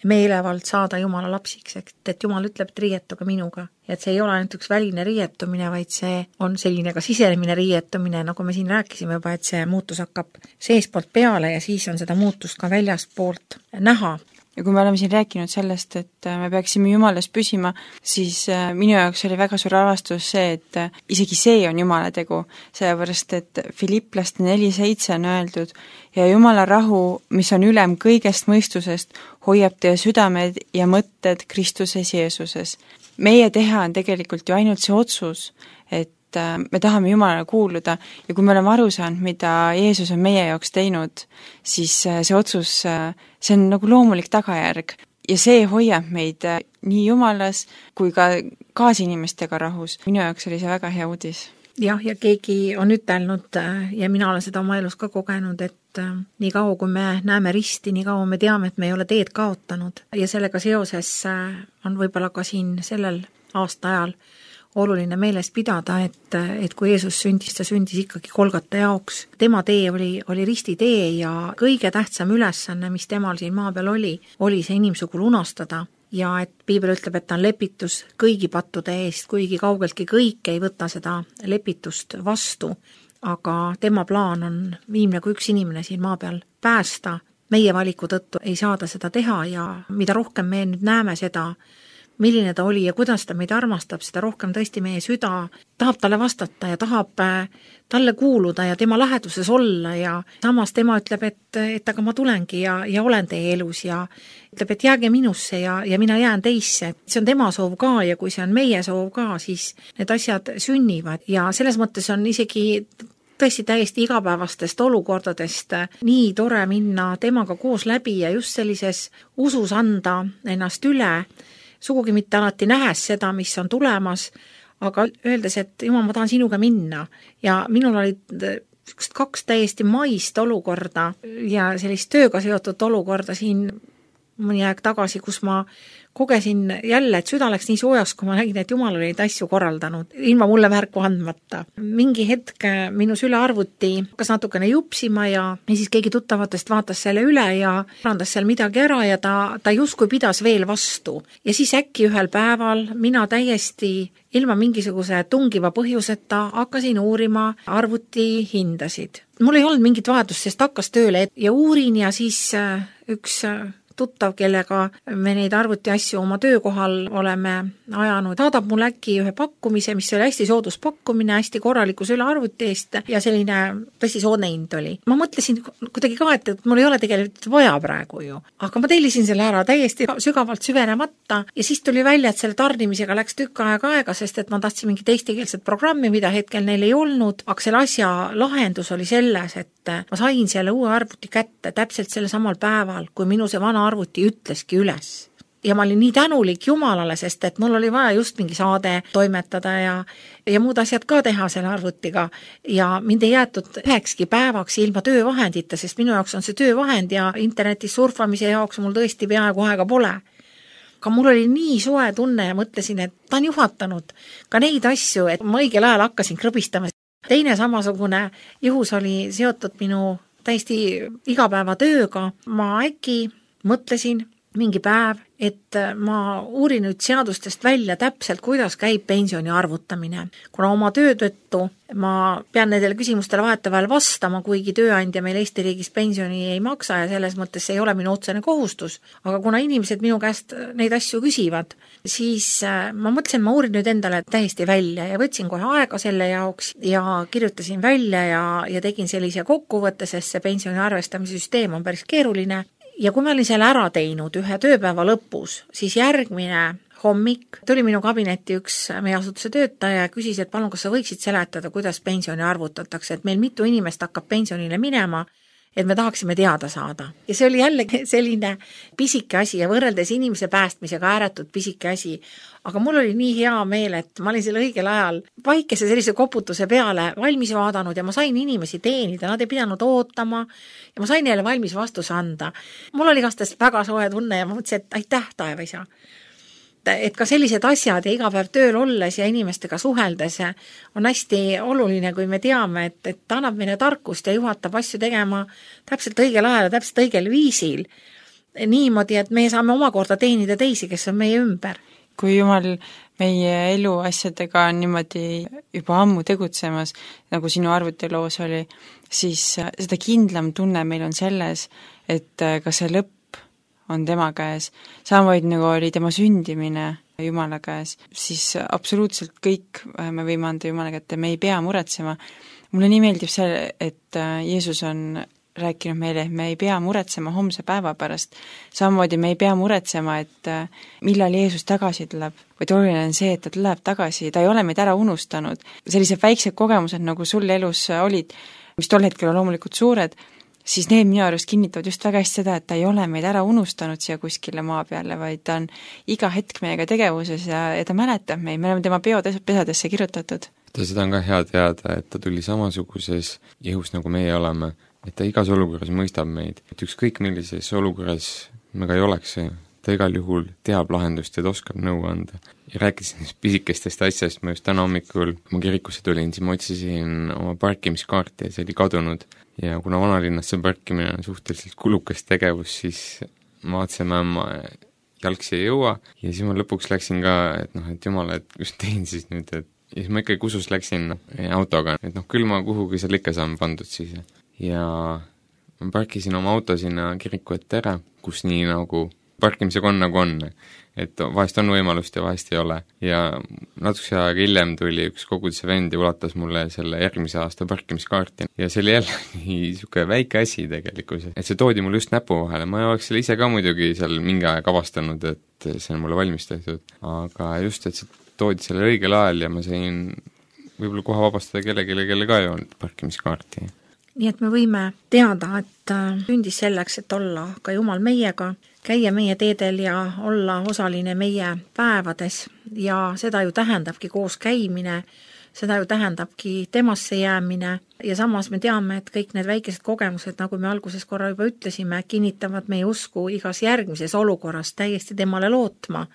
meelevald saada Jumala lapsiks, et Jumal ütleb, et riietuge minuga. Ja et see ei ole ainult üks väline riietumine, vaid see on selline ka sisemine riietumine, nagu me siin rääkisime juba, et see muutus hakkab seespoolt peale ja siis on seda muutust ka väljaspoolt näha. Ja kui me oleme siin rääkinud sellest, et me peaksime Jumalas püsima, siis minu jaoks oli väga suur avastus see, et isegi see on Jumala tegu, sellepärast et Filipplaste neli seitse on öeldud ja Jumala rahu, mis on ülem kõigest mõistusest, hoiab teie südamed ja mõtted Kristuses Jeesuses. Meie teha on tegelikult ju ainult see otsus, et me tahame Jumalale kuuluda ja kui me oleme aru saanud, mida Jeesus on meie jaoks teinud, siis see otsus, see on nagu loomulik tagajärg ja see hoiab meid nii Jumalas kui ka kaasinimestega rahus. Minu jaoks oli see väga hea uudis. Jah, ja keegi on ütelnud ja mina olen seda oma elus ka kogenud, et nii kaua kui me näeme risti, nii kaua me teame, et me ei ole teed kaotanud ja sellega seoses on võib-olla ka siin sellel aasta ajal oluline meeles pidada, et, et kui Jeesus sündis, ta sündis ikkagi Golgata jaoks. Tema tee oli, oli risti tee ja kõige tähtsam ülesanne, mis temal siin maa peal oli, oli see inimsugu lunastada. Ja et piibel ütleb, et ta on lepitus kõigi pattude eest, kuigi kaugeltki kõik ei võta seda lepitust vastu. Aga tema plaan on viimne kui üks inimene siin maa peal päästa. Meie valiku tõttu ei saada seda teha ja mida rohkem me nüüd näeme seda, milline ta oli ja kuidas ta meid armastab, seda rohkem tõesti meie süda tahab talle vastata ja tahab talle kuuluda ja tema läheduses olla ja samas tema ütleb, et, et aga ma tulengi ja, ja olen teie elus ja ütleb, et jääge minusse ja, ja mina jään teisse. See on tema soov ka ja kui see on meie soov ka, siis need asjad sünnivad ja selles mõttes on isegi tõesti täiesti igapäevastest olukordadest nii tore minna temaga koos läbi ja just sellises usus anda ennast üle, sugugi mitte alati nähes seda, mis on tulemas, aga öeldes, et jumal, ma tahan sinuga minna ja minul olid kaks täiesti maist olukorda ja sellist tööga seotud olukorda siin mõni aeg tagasi, kus ma kogesin jälle, et süda läks nii soojaks, kui ma nägin, et Jumal oli neid asju korraldanud, ilma mulle märku andmata. Mingi hetk minu sülearvuti hakkas natukene jupsima ja, ja siis keegi tuttavatest vaatas selle üle ja parandas seal midagi ära ja ta, ta justkui pidas veel vastu. Ja siis äkki ühel päeval mina täiesti ilma mingisuguse tungiva põhjuseta hakkasin uurima arvuti hindasid. Mul ei olnud mingit vajadust, sest hakkas tööle ja uurin ja siis üks tuttav, kellega me neid arvuti asju oma töökohal oleme ajanud, saadab mul äkki ühe pakkumise, mis oli hästi soodus pakkumine, hästi korraliku sülearvuti eest ja selline tõesti soodne hind oli. Ma mõtlesin kuidagi ka, et mul ei ole tegelikult vaja praegu ju, aga ma tellisin selle ära täiesti sügavalt süvenemata ja siis tuli välja, et selle tarnimisega läks tükk aega aega, sest et ma tahtsin mingit eestikeelset programmi, mida hetkel neil ei olnud, aga selle asja lahendus oli selles, et ma sain selle uue arvuti kätte täpselt selle samal päeval, kui minu see vana arvuti ütleski üles. Ja ma olin nii tänulik Jumalale, sest et mul oli vaja just mingi saade toimetada ja, ja muud asjad ka teha selle arvutiga ja mind ei jäetud ühekski päevaks ilma töövahendita, sest minu jaoks on see töövahend ja internetis surfamise jaoks mul tõesti peaaegu aega pole. Aga mul oli nii soe tunne ja mõtlesin, et ta on juhatanud ka neid asju, et ma õigel ajal hakkasin krõbistama. Teine samasugune juhus oli seotud minu täiesti igapäevatööga. Ma äkki mõtlesin mingi päev, et ma uurin nüüd seadustest välja täpselt, kuidas käib pensioni arvutamine. Kuna oma töö tõttu ma pean nendele küsimustele vahetevahel vastama, kuigi tööandja meil Eesti riigis pensioni ei maksa ja selles mõttes ei ole minu otsene kohustus. Aga kuna inimesed minu käest neid asju küsivad, siis ma mõtlesin, ma uurin nüüd endale täiesti välja ja võtsin kohe aega selle jaoks ja kirjutasin välja ja, ja tegin sellise kokkuvõtte, sest see pensioni arvestamise süsteem on päris keeruline. Ja kui ma olin selle ära teinud ühe tööpäeva lõpus, siis järgmine hommik tuli minu kabinetti üks meie asutuse töötaja ja küsis, et palun, kas sa võiksid seletada, kuidas pensioni arvutatakse, et meil mitu inimest hakkab pensionile minema, et me tahaksime teada saada. Ja see oli jälle selline pisike asi ja võrreldes inimese päästmisega ääretult pisike asi. Aga mul oli nii hea meel, et ma olin selle õigel ajal vaikese sellise koputuse peale valmis vaadanud ja ma sain inimesi teenida, nad ei pidanud ootama ja ma sain neile valmis vastuse anda. Mul oli igastest väga soe tunne ja ma mõtlesin, et aitäh, taevaisa. Et ka sellised asjad ja iga päev tööl olles ja inimestega suheldes on hästi oluline, kui me teame, et, et ta annab meile tarkust ja juhatab asju tegema täpselt õigel ajal ja täpselt õigel viisil. Niimoodi, et me saame omakorda teenida teisi, kes on meie ümber. Kui Jumal meie elu asjadega on niimoodi juba ammu tegutsemas, nagu sinu arvutiloos oli, siis seda kindlam tunne meil on selles, et ka see lõpp on tema käes, samamoodi nagu oli tema sündimine Jumala käes, siis absoluutselt kõik me võime anda Jumala kätte, me ei pea muretsema. Mulle nii meeldib see, et Jeesus on rääkinud meile, et me ei pea muretsema homse päeva pärast, samamoodi me ei pea muretsema, et millal Jeesus tagasi tuleb, vaid oluline on see, et ta tuleb tagasi, ta ei ole meid ära unustanud. Sellised väiksed kogemused, nagu sul elus olid, mis tol hetkel on loomulikult suured, siis need minu arust kinnitavad just väga hästi seda, et ta ei ole meid ära unustanud siia kuskile maa peale, vaid ta on iga hetk meiega tegevuses ja, ja ta mäletab meid, me oleme tema peopesadesse kirjutatud. Ta seda on ka hea teada, et ta tuli samasuguses jõus, nagu meie oleme, et ta igas olukorras mõistab meid, et ükskõik millises olukorras me ka ei oleks, ta igal juhul teab lahendust ja ta oskab nõu anda. Ja rääkisin pisikestest asjast, ma just täna hommikul, kui ma kirikusse tulin, siis ma otsisin oma parkimiskaarti ja see oli kadunud. Ja kuna vanalinnas see parkimine on suhteliselt kulukas tegevus, siis ma vaatasin, ma jalgsi ei jõua ja siis ma lõpuks läksin ka, et noh, et jumala, et just tein siis nüüd, et ja siis ma ikkagi kusus läksin autoga, et noh, küll ma kuhugi seal ikka saan pandud siis. Ja ma parkisin oma auto sinna kiriku ette ära, kus nii nagu parkimisega on nagu on. Et vahest on võimalust ja vahest ei ole. Ja natukese aega hiljem tuli üks koguduse vend ja ulatas mulle selle järgmise aasta parkimiskaarti. Ja see oli jälle niisugune väike asi tegelikult, et see toodi mulle just näpu vahele. Ma oleks selle ise ka muidugi seal mingi aeg avastanud, et see on mulle valmis tehtud. Aga just, et see toodi selle õigel ajal ja ma sain võib-olla koha vabastada kellelegi, kelle ka ei olnud parkimiskaarti. Nii et me võime teada, et sündis selleks, et olla ka Jumal meiega, käia meie teedel ja olla osaline meie päevades ja seda ju tähendabki koos käimine, seda ju tähendabki temasse jäämine ja samas me teame, et kõik need väikesed kogemused, nagu me alguses korra juba ütlesime, kinnitavad meie usku igas järgmises olukorras täiesti temale lootma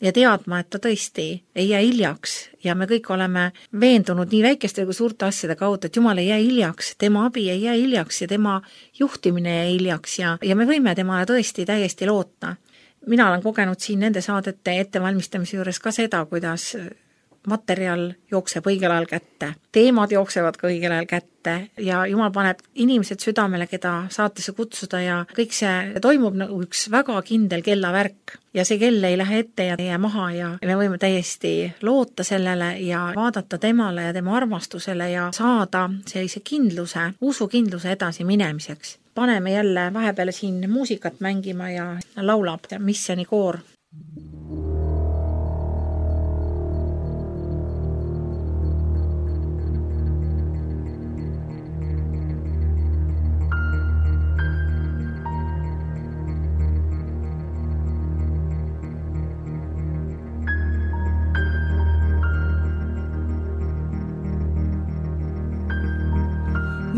ja teadma, et ta tõesti ei jää hiljaks ja me kõik oleme veendunud nii väikeste kui suurte asjade kaudu, et Jumal ei jää hiljaks, tema abi ei jää hiljaks ja tema juhtimine ei jää hiljaks ja, ja me võime temale tõesti täiesti loota. Mina olen kogenud siin nende saadete ettevalmistamise juures ka seda, kuidas materjal jookseb õigel ajal kätte, teemad jooksevad ka õigel ajal kätte ja Jumal paneb inimesed südamele, keda saatesse kutsuda ja kõik see toimub nagu üks väga kindel kellavärk ja see kell ei lähe ette ja ei jää maha ja me võime täiesti loota sellele ja vaadata temale ja tema armastusele ja saada sellise kindluse, usukindluse edasi minemiseks. Paneme jälle vahepeale siin muusikat mängima ja laulab Missioni koor.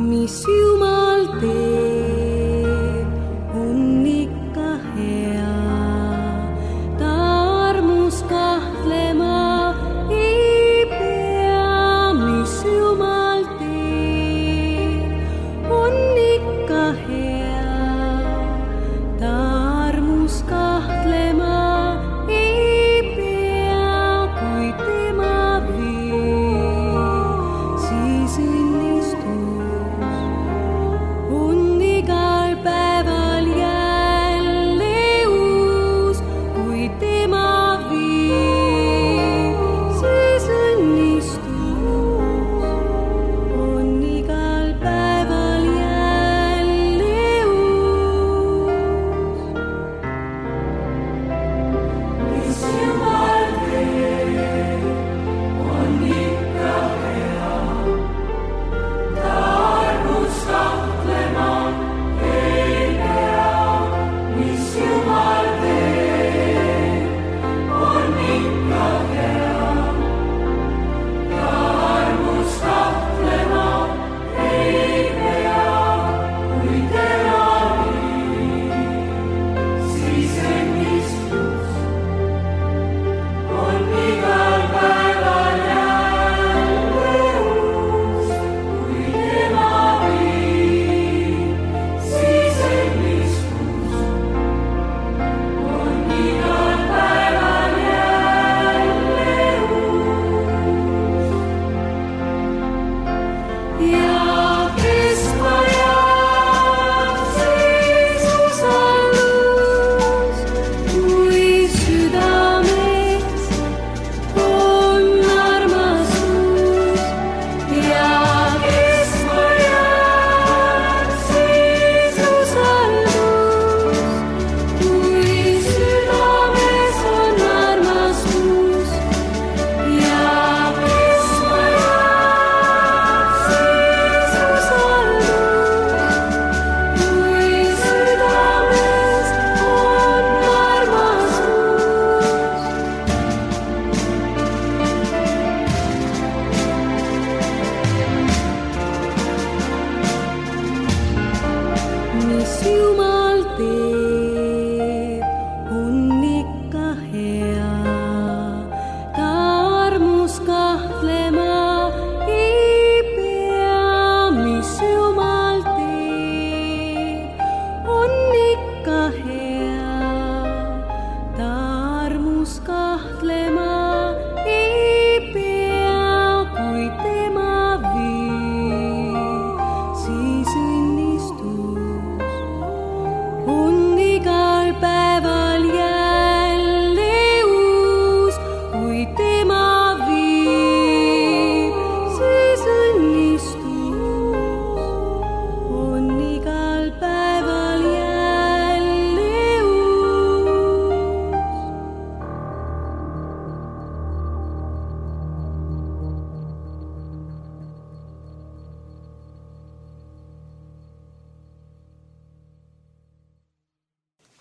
Mis Jumal teeb, on ikka hea, ta armus kahtlema ei pea. Mis Jumal teeb, on ikka hea, ta armus kahtlema ei pea, kui tema viib, siis õnnistus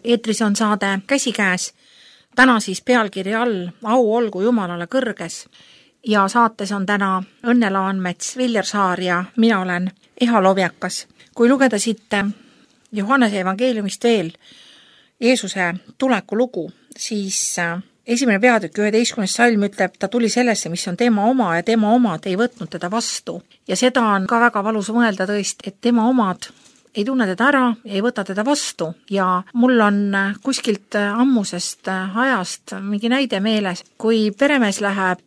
eetris on saade Käsikäes, täna siis pealkiri all Au olgu Jumalale kõrges ja saates on täna Õnne Laanmets, Viljar Saar ja mina olen Eha Lovjakas. Kui lugeda siit Johannese evangeeliumist veel Jeesuse tuleku lugu, siis esimene peatükk üheteistkümnes salm ütleb, ta tuli sellesse, mis on tema oma ja tema omad ei võtnud teda vastu. Ja seda on ka väga valus mõelda tõesti, et tema omad ei tunne teda ära, ei võta teda vastu ja mul on kuskilt ammusest ajast mingi näide meeles, kui peremees läheb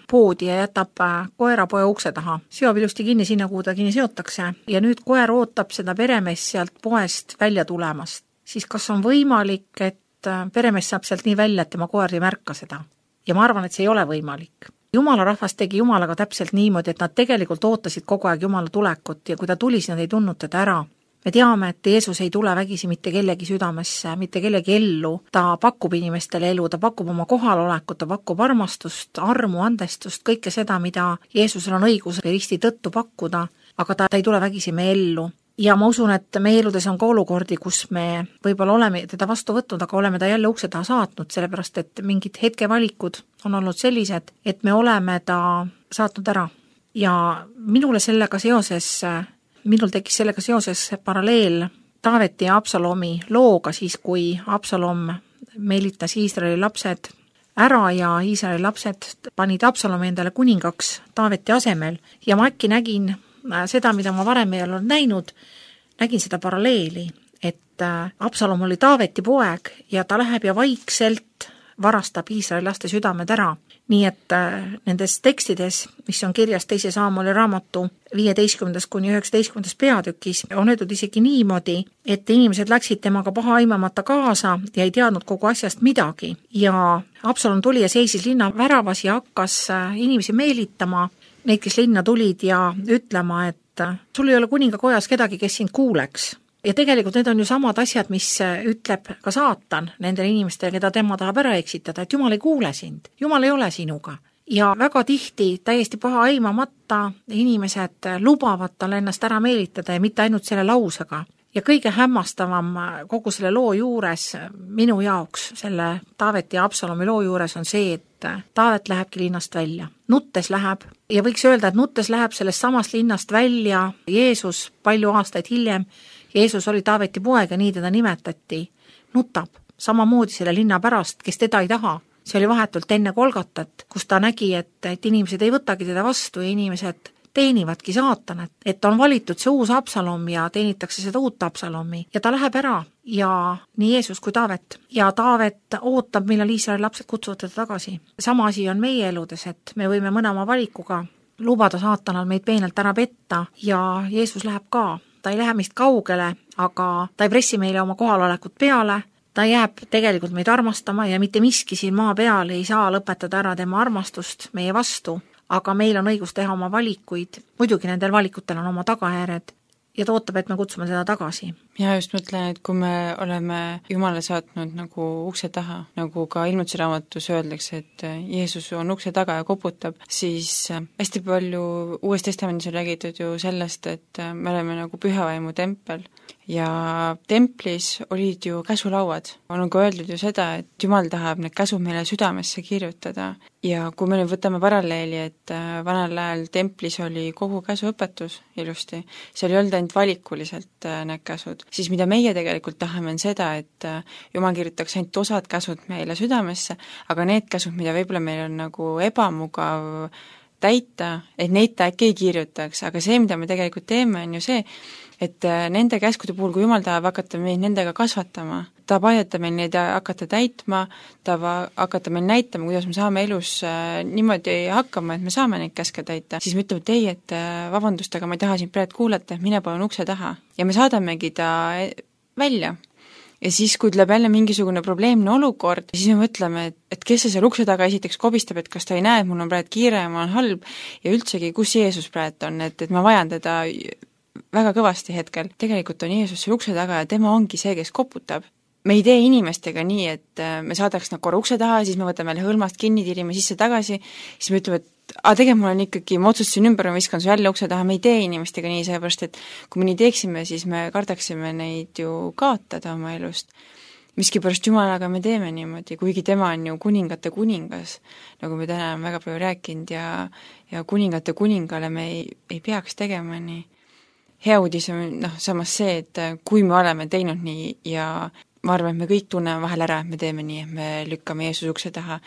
poodi ja jätab koerapoja ukse taha, seob ilusti kinni sinna, kuhu ta kinni seotakse ja nüüd koer ootab seda peremees sealt poest välja tulemast, siis kas on võimalik, et peremees saab sealt nii välja, et tema koer ei märka seda? Ja ma arvan, et see ei ole võimalik. Jumala rahvas tegi Jumalaga täpselt niimoodi, et nad tegelikult ootasid kogu aeg Jumala tulekut ja kui ta tuli, siis nad ei tundnud teda ära. Me teame, et Jeesus ei tule vägisi mitte kellegi südamesse, mitte kellegi ellu, ta pakub inimestele elu, ta pakub oma kohalolekut, ta pakub armastust, armu, andestust, kõike seda, mida Jeesusel on õigus risti tõttu pakkuda, aga ta, ta ei tule vägisi meie ellu. Ja ma usun, et meie eludes on ka olukordi, kus me võib-olla oleme teda vastu võtnud, aga oleme ta jälle ukse taha saatnud, sellepärast et mingid hetkevalikud on olnud sellised, et me oleme ta saatnud ära. Ja minule sellega seoses, minul tekkis sellega seoses paralleel Taaveti ja Absalomi looga, siis kui Absalom meelitas Iisraeli lapsed ära ja Iisraeli lapsed panid Absalomi endale kuningaks Taaveti asemel ja ma äkki nägin seda, mida ma varem ei olnud näinud, nägin seda paralleeli, et Absalom oli Taaveti poeg ja ta läheb ja vaikselt varastab Iisraeli laste südamed ära. Nii et nendes tekstides, mis on kirjas teise Saamueli raamatu viieteistkümnendas kuni üheksateistkümnendas peatükis, on öeldud isegi niimoodi, et inimesed läksid temaga paha aimamata kaasa ja ei teadnud kogu asjast midagi. Ja Absalom tuli ja seisis linna väravas ja hakkas inimesi meelitama, neid, kes linna tulid ja ütlema, et sul ei ole kuningakojas kedagi, kes sind kuuleks. Ja tegelikult need on ju samad asjad, mis ütleb ka saatan nendele inimestele, keda tema tahab ära eksitada, et Jumal ei kuule sind, Jumal ei ole sinuga. Ja väga tihti täiesti paha aimamata inimesed lubavad tal ennast ära meelitada ja mitte ainult selle lausega. Ja kõige hämmastavam kogu selle loo juures minu jaoks, selle Taaveti ja Absalomi loo juures on see, et Taavet lähebki linnast välja. Nuttes läheb ja võiks öelda, et nuttes läheb sellest samast linnast välja Jeesus palju aastaid hiljem. Jeesus oli Taaveti poeg ja nii teda nimetati. Nutab samamoodi selle linna pärast, kes teda ei taha. See oli vahetult enne Golgatat, kus ta nägi, et, et inimesed ei võtagi teda vastu ja inimesed teenivadki saatanat, et on valitud see uus Absalom ja teenitakse seda uut Absalomi ja ta läheb ära ja nii Jeesus kui Taavet. Ja Taavet ootab, millal Iisraeli lapsed kutsuvad teda tagasi. Sama asi on meie eludes, et me võime mõne oma valikuga lubada saatanal meid peenelt ära petta ja Jeesus läheb ka. Ta ei lähe meist kaugele, aga ta ei pressi meile oma kohalolekut peale, ta jääb tegelikult meid armastama ja mitte miski siin maa peal ei saa lõpetada ära tema armastust meie vastu. Aga meil on õigus teha oma valikuid, muidugi nendel valikutel on oma tagajärjed ja ta ootab, et me kutsume teda tagasi. Ja just mõtlen, et kui me oleme Jumala saatnud nagu ukse taha, nagu ka Ilmutuse raamatus öeldakse, et Jeesus on ukse taga ja koputab, siis hästi palju Uues Testamendis on räägitud ju sellest, et me oleme nagu pühavaimu tempel ja templis olid ju käsulauad. On ka öeldud ju seda, et Jumal tahab need käsud meile südamesse kirjutada ja kui me nüüd võtame paralleeli, et vanal ajal templis oli kogu käsuõpetus ilusti, seal ei olnud ainult valikuliselt need käsud, siis mida meie tegelikult tahame on seda, et Jumal kirjutaks ainult osad käsud meile südamesse, aga need käsud, mida võib-olla meil on nagu ebamugav täita, et neid ta äkki ei kirjutaks, aga see, mida me tegelikult teeme, on ju see, et nende käskude puhul, kui Jumal tahab hakata meid nendega kasvatama, ta aidata meil neid hakata täitma, ta hakata meil näitama, kuidas me saame elus niimoodi hakkama, et me saame neid käske täita, siis me ütleme, et ei, et vabandust, aga ma ei taha sind praegu kuulata, mine palun ukse taha. Ja me saadamegi ta välja. Ja siis, kui tuleb jälle mingisugune probleemne olukord, siis me mõtleme, et, et kes see seal ukse taga esiteks kobistab, et kas ta ei näe, et mul on praegu kiire ja mul on halb ja üldsegi, kus Jeesus praegu on, et, et ma vajan teda väga kõvasti hetkel. Tegelikult on Jeesus seal ukse taga ja tema ongi see, kes koputab. Me ei tee inimestega nii, et me saadaks nad korra ukse taha, siis me võtame hõlmast kinni, tirime sisse tagasi, siis me ütleme, et a, tegelikult mul on ikkagi, ma otsustasin ümber, ma viskan su jälle ukse taha, me ei tee inimestega nii, seepärast, et kui me nii teeksime, siis me kardaksime neid ju kaotada oma elust. miskipärast Jumalaga me teeme niimoodi, kuigi tema on ju kuningate kuningas, nagu me täna oleme väga palju rääkinud ja, ja kuningate kuningale me ei, ei peaks tegema nii. Hea uudis on noh, samas see, et kui me oleme teinud nii ja ma arvan, et me kõik tunneme vahel ära, et me teeme nii, et me lükkame Jeesus ukse taha,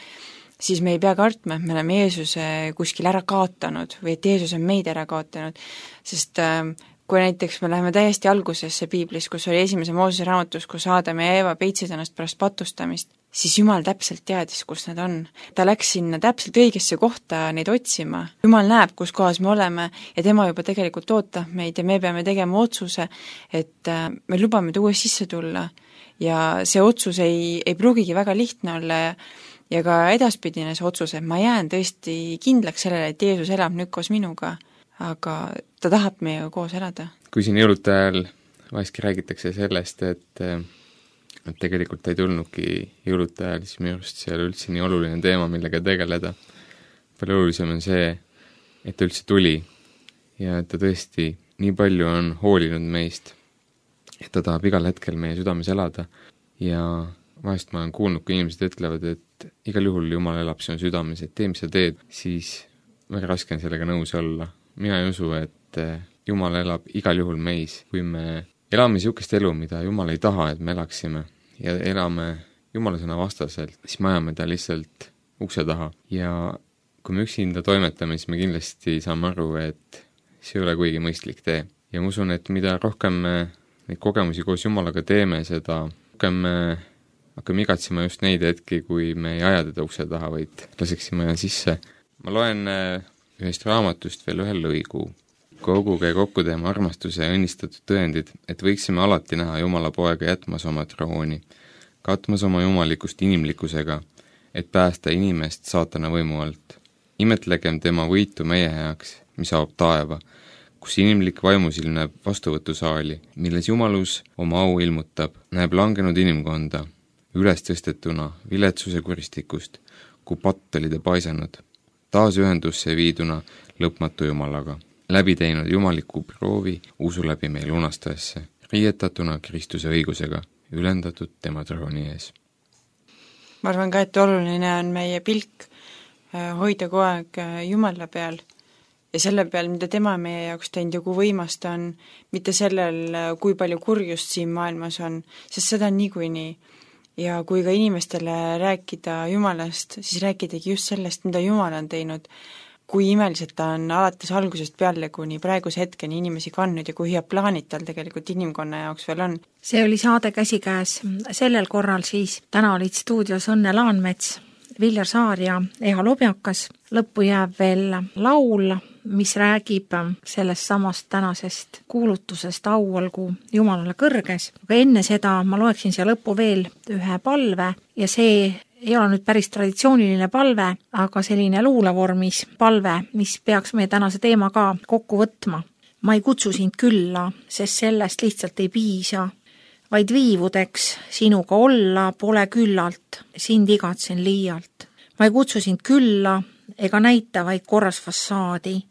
siis me ei pea kartma, et me oleme Jeesuse kuskil ära kaotanud või et Jeesus on meid ära kaotanud, sest äh, kui näiteks me läheme täiesti algusesse piiblis, kus oli esimese Moosese raamatus, kus Aadam ja Eeva peitsid ennast pärast patustamist, siis Jumal täpselt teadis, kus nad on. Ta läks sinna täpselt õigesse kohta neid otsima. Jumal näeb, kus kohas me oleme ja tema juba tegelikult ootab meid ja me peame tegema otsuse, et äh, me lubame ta uuesti sisse tulla ja see otsus ei, ei pruugigi väga lihtne olla ja ja ka edaspidine see otsus, et ma jään tõesti kindlaks sellele, et Jeesus elab nüüd koos minuga, aga ta tahab meiega koos elada. Kui siin jõulude ajal vahestki räägitakse sellest, et, et tegelikult ei tulnudki jõulude ajal, siis minu arust see ei ole üldse nii oluline teema, millega tegeleda. Palju olulisem on see, et ta üldse tuli ja et ta tõesti nii palju on hoolinud meist, et ta tahab igal hetkel meie südames elada ja vahest ma olen kuulnud, kui inimesed ütlevad, et igal juhul Jumal elab sinu südames, et tee, mis sa teed, siis väga raske on sellega nõus olla. Mina ei usu, et Jumal elab igal juhul meis. Kui me elame niisugust elu, mida Jumal ei taha, et me elaksime ja elame Jumala sõna vastaselt, siis me ajame ta lihtsalt ukse taha. Ja kui me üksinda toimetame, siis me kindlasti saame aru, et see ei ole kuigi mõistlik tee. Ja ma usun, et mida rohkem me neid kogemusi koos Jumalaga teeme, seda rohkem me hakkame igatsema just neid hetki, kui me ei aja teda ukse taha, vaid laseksime sisse. Ma loen ühest raamatust veel ühe lõigu. Koguge kokku teema armastuse ja õnnistatud tõendid, et võiksime alati näha Jumala poega jätmas oma trooni, katmas oma jumalikust inimlikkusega, et päästa inimest saatana võimu alt. Imetlegem tema võitu meie heaks, mis avab taeva, kus inimlik vaimusilm näeb vastuvõtusaali, milles Jumalus oma au ilmutab, näeb langenud inimkonda, üles tõstetuna viletsuse kuristikust, kui patt oli ta paisanud, taas ühendusse viiduna lõpmatu Jumalaga, läbi teinud jumaliku proovi usu läbi meil unastaesse, riietatuna Kristuse õigusega, ülendatud tema trooni ees. Ma arvan ka, et oluline on meie pilk hoida kogu aeg Jumala peal ja selle peal, mida tema meie jaoks teinud ja kui võimas ta on, mitte sellel, kui palju kurjust siin maailmas on, sest seda on niikuinii. Ja kui ka inimestele rääkida Jumalast, siis rääkidagi just sellest, mida Jumal on teinud, kui imeliselt ta on alates algusest peale kuni praeguse hetkeni inimesi kandnud ja kui head plaanid tal tegelikult inimkonna jaoks veel on. See oli saade Käsikäes. Sellel korral siis täna olid stuudios Õnne Laanmets, Viljar Saar ja Eha Lobjakas. Lõppu jääb veel laul, mis räägib sellest samast tänasest kuulutusest au olgu Jumalale kõrges. Aga enne seda ma loeksin siia lõppu veel ühe palve ja see ei ole nüüd päris traditsiooniline palve, aga selline luulevormis palve, mis peaks meie tänase teema ka kokku võtma. Ma ei kutsu sind külla, sest sellest lihtsalt ei piisa, vaid viivudeks sinuga olla pole küllalt, sind igatsen liialt. Ma ei kutsu sind külla ega näita vaid korras fassaadi.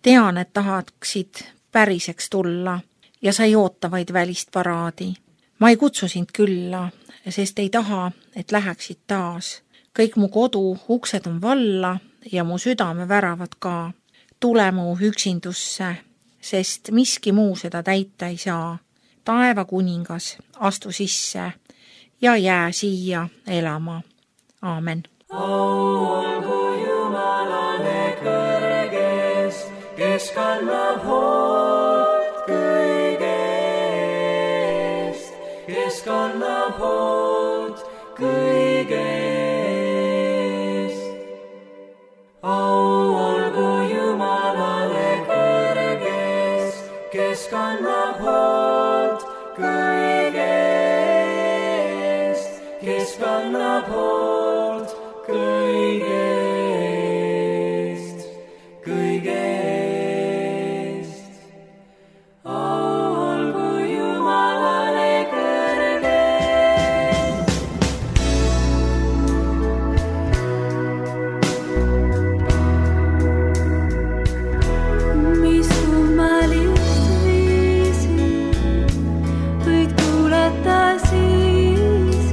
Tean, et tahaksid päriseks tulla ja sa ei oota vaid välist paraadi. Ma ei kutsu sind külla, sest ei taha, et läheksid taas. Kõik mu kodu uksed on valla ja mu südame väravad ka. Tule mu üksindusse, sest miski muu seda täita ei saa. Taeva kuningas, astu sisse ja jää siia elama. Aamen. Au olgu Jumalale kõrges, kes kannab hoolt kõigest, kes kannab hoolt kõigest. Au olgu Jumalale kõrges, kes kannab hoolt kõigest, kes kannab hoolt kõigest, kõigest. Au olgu Jumalale kõrges. Mis kummalist viisi võid kuulata siis,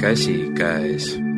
käsikäes.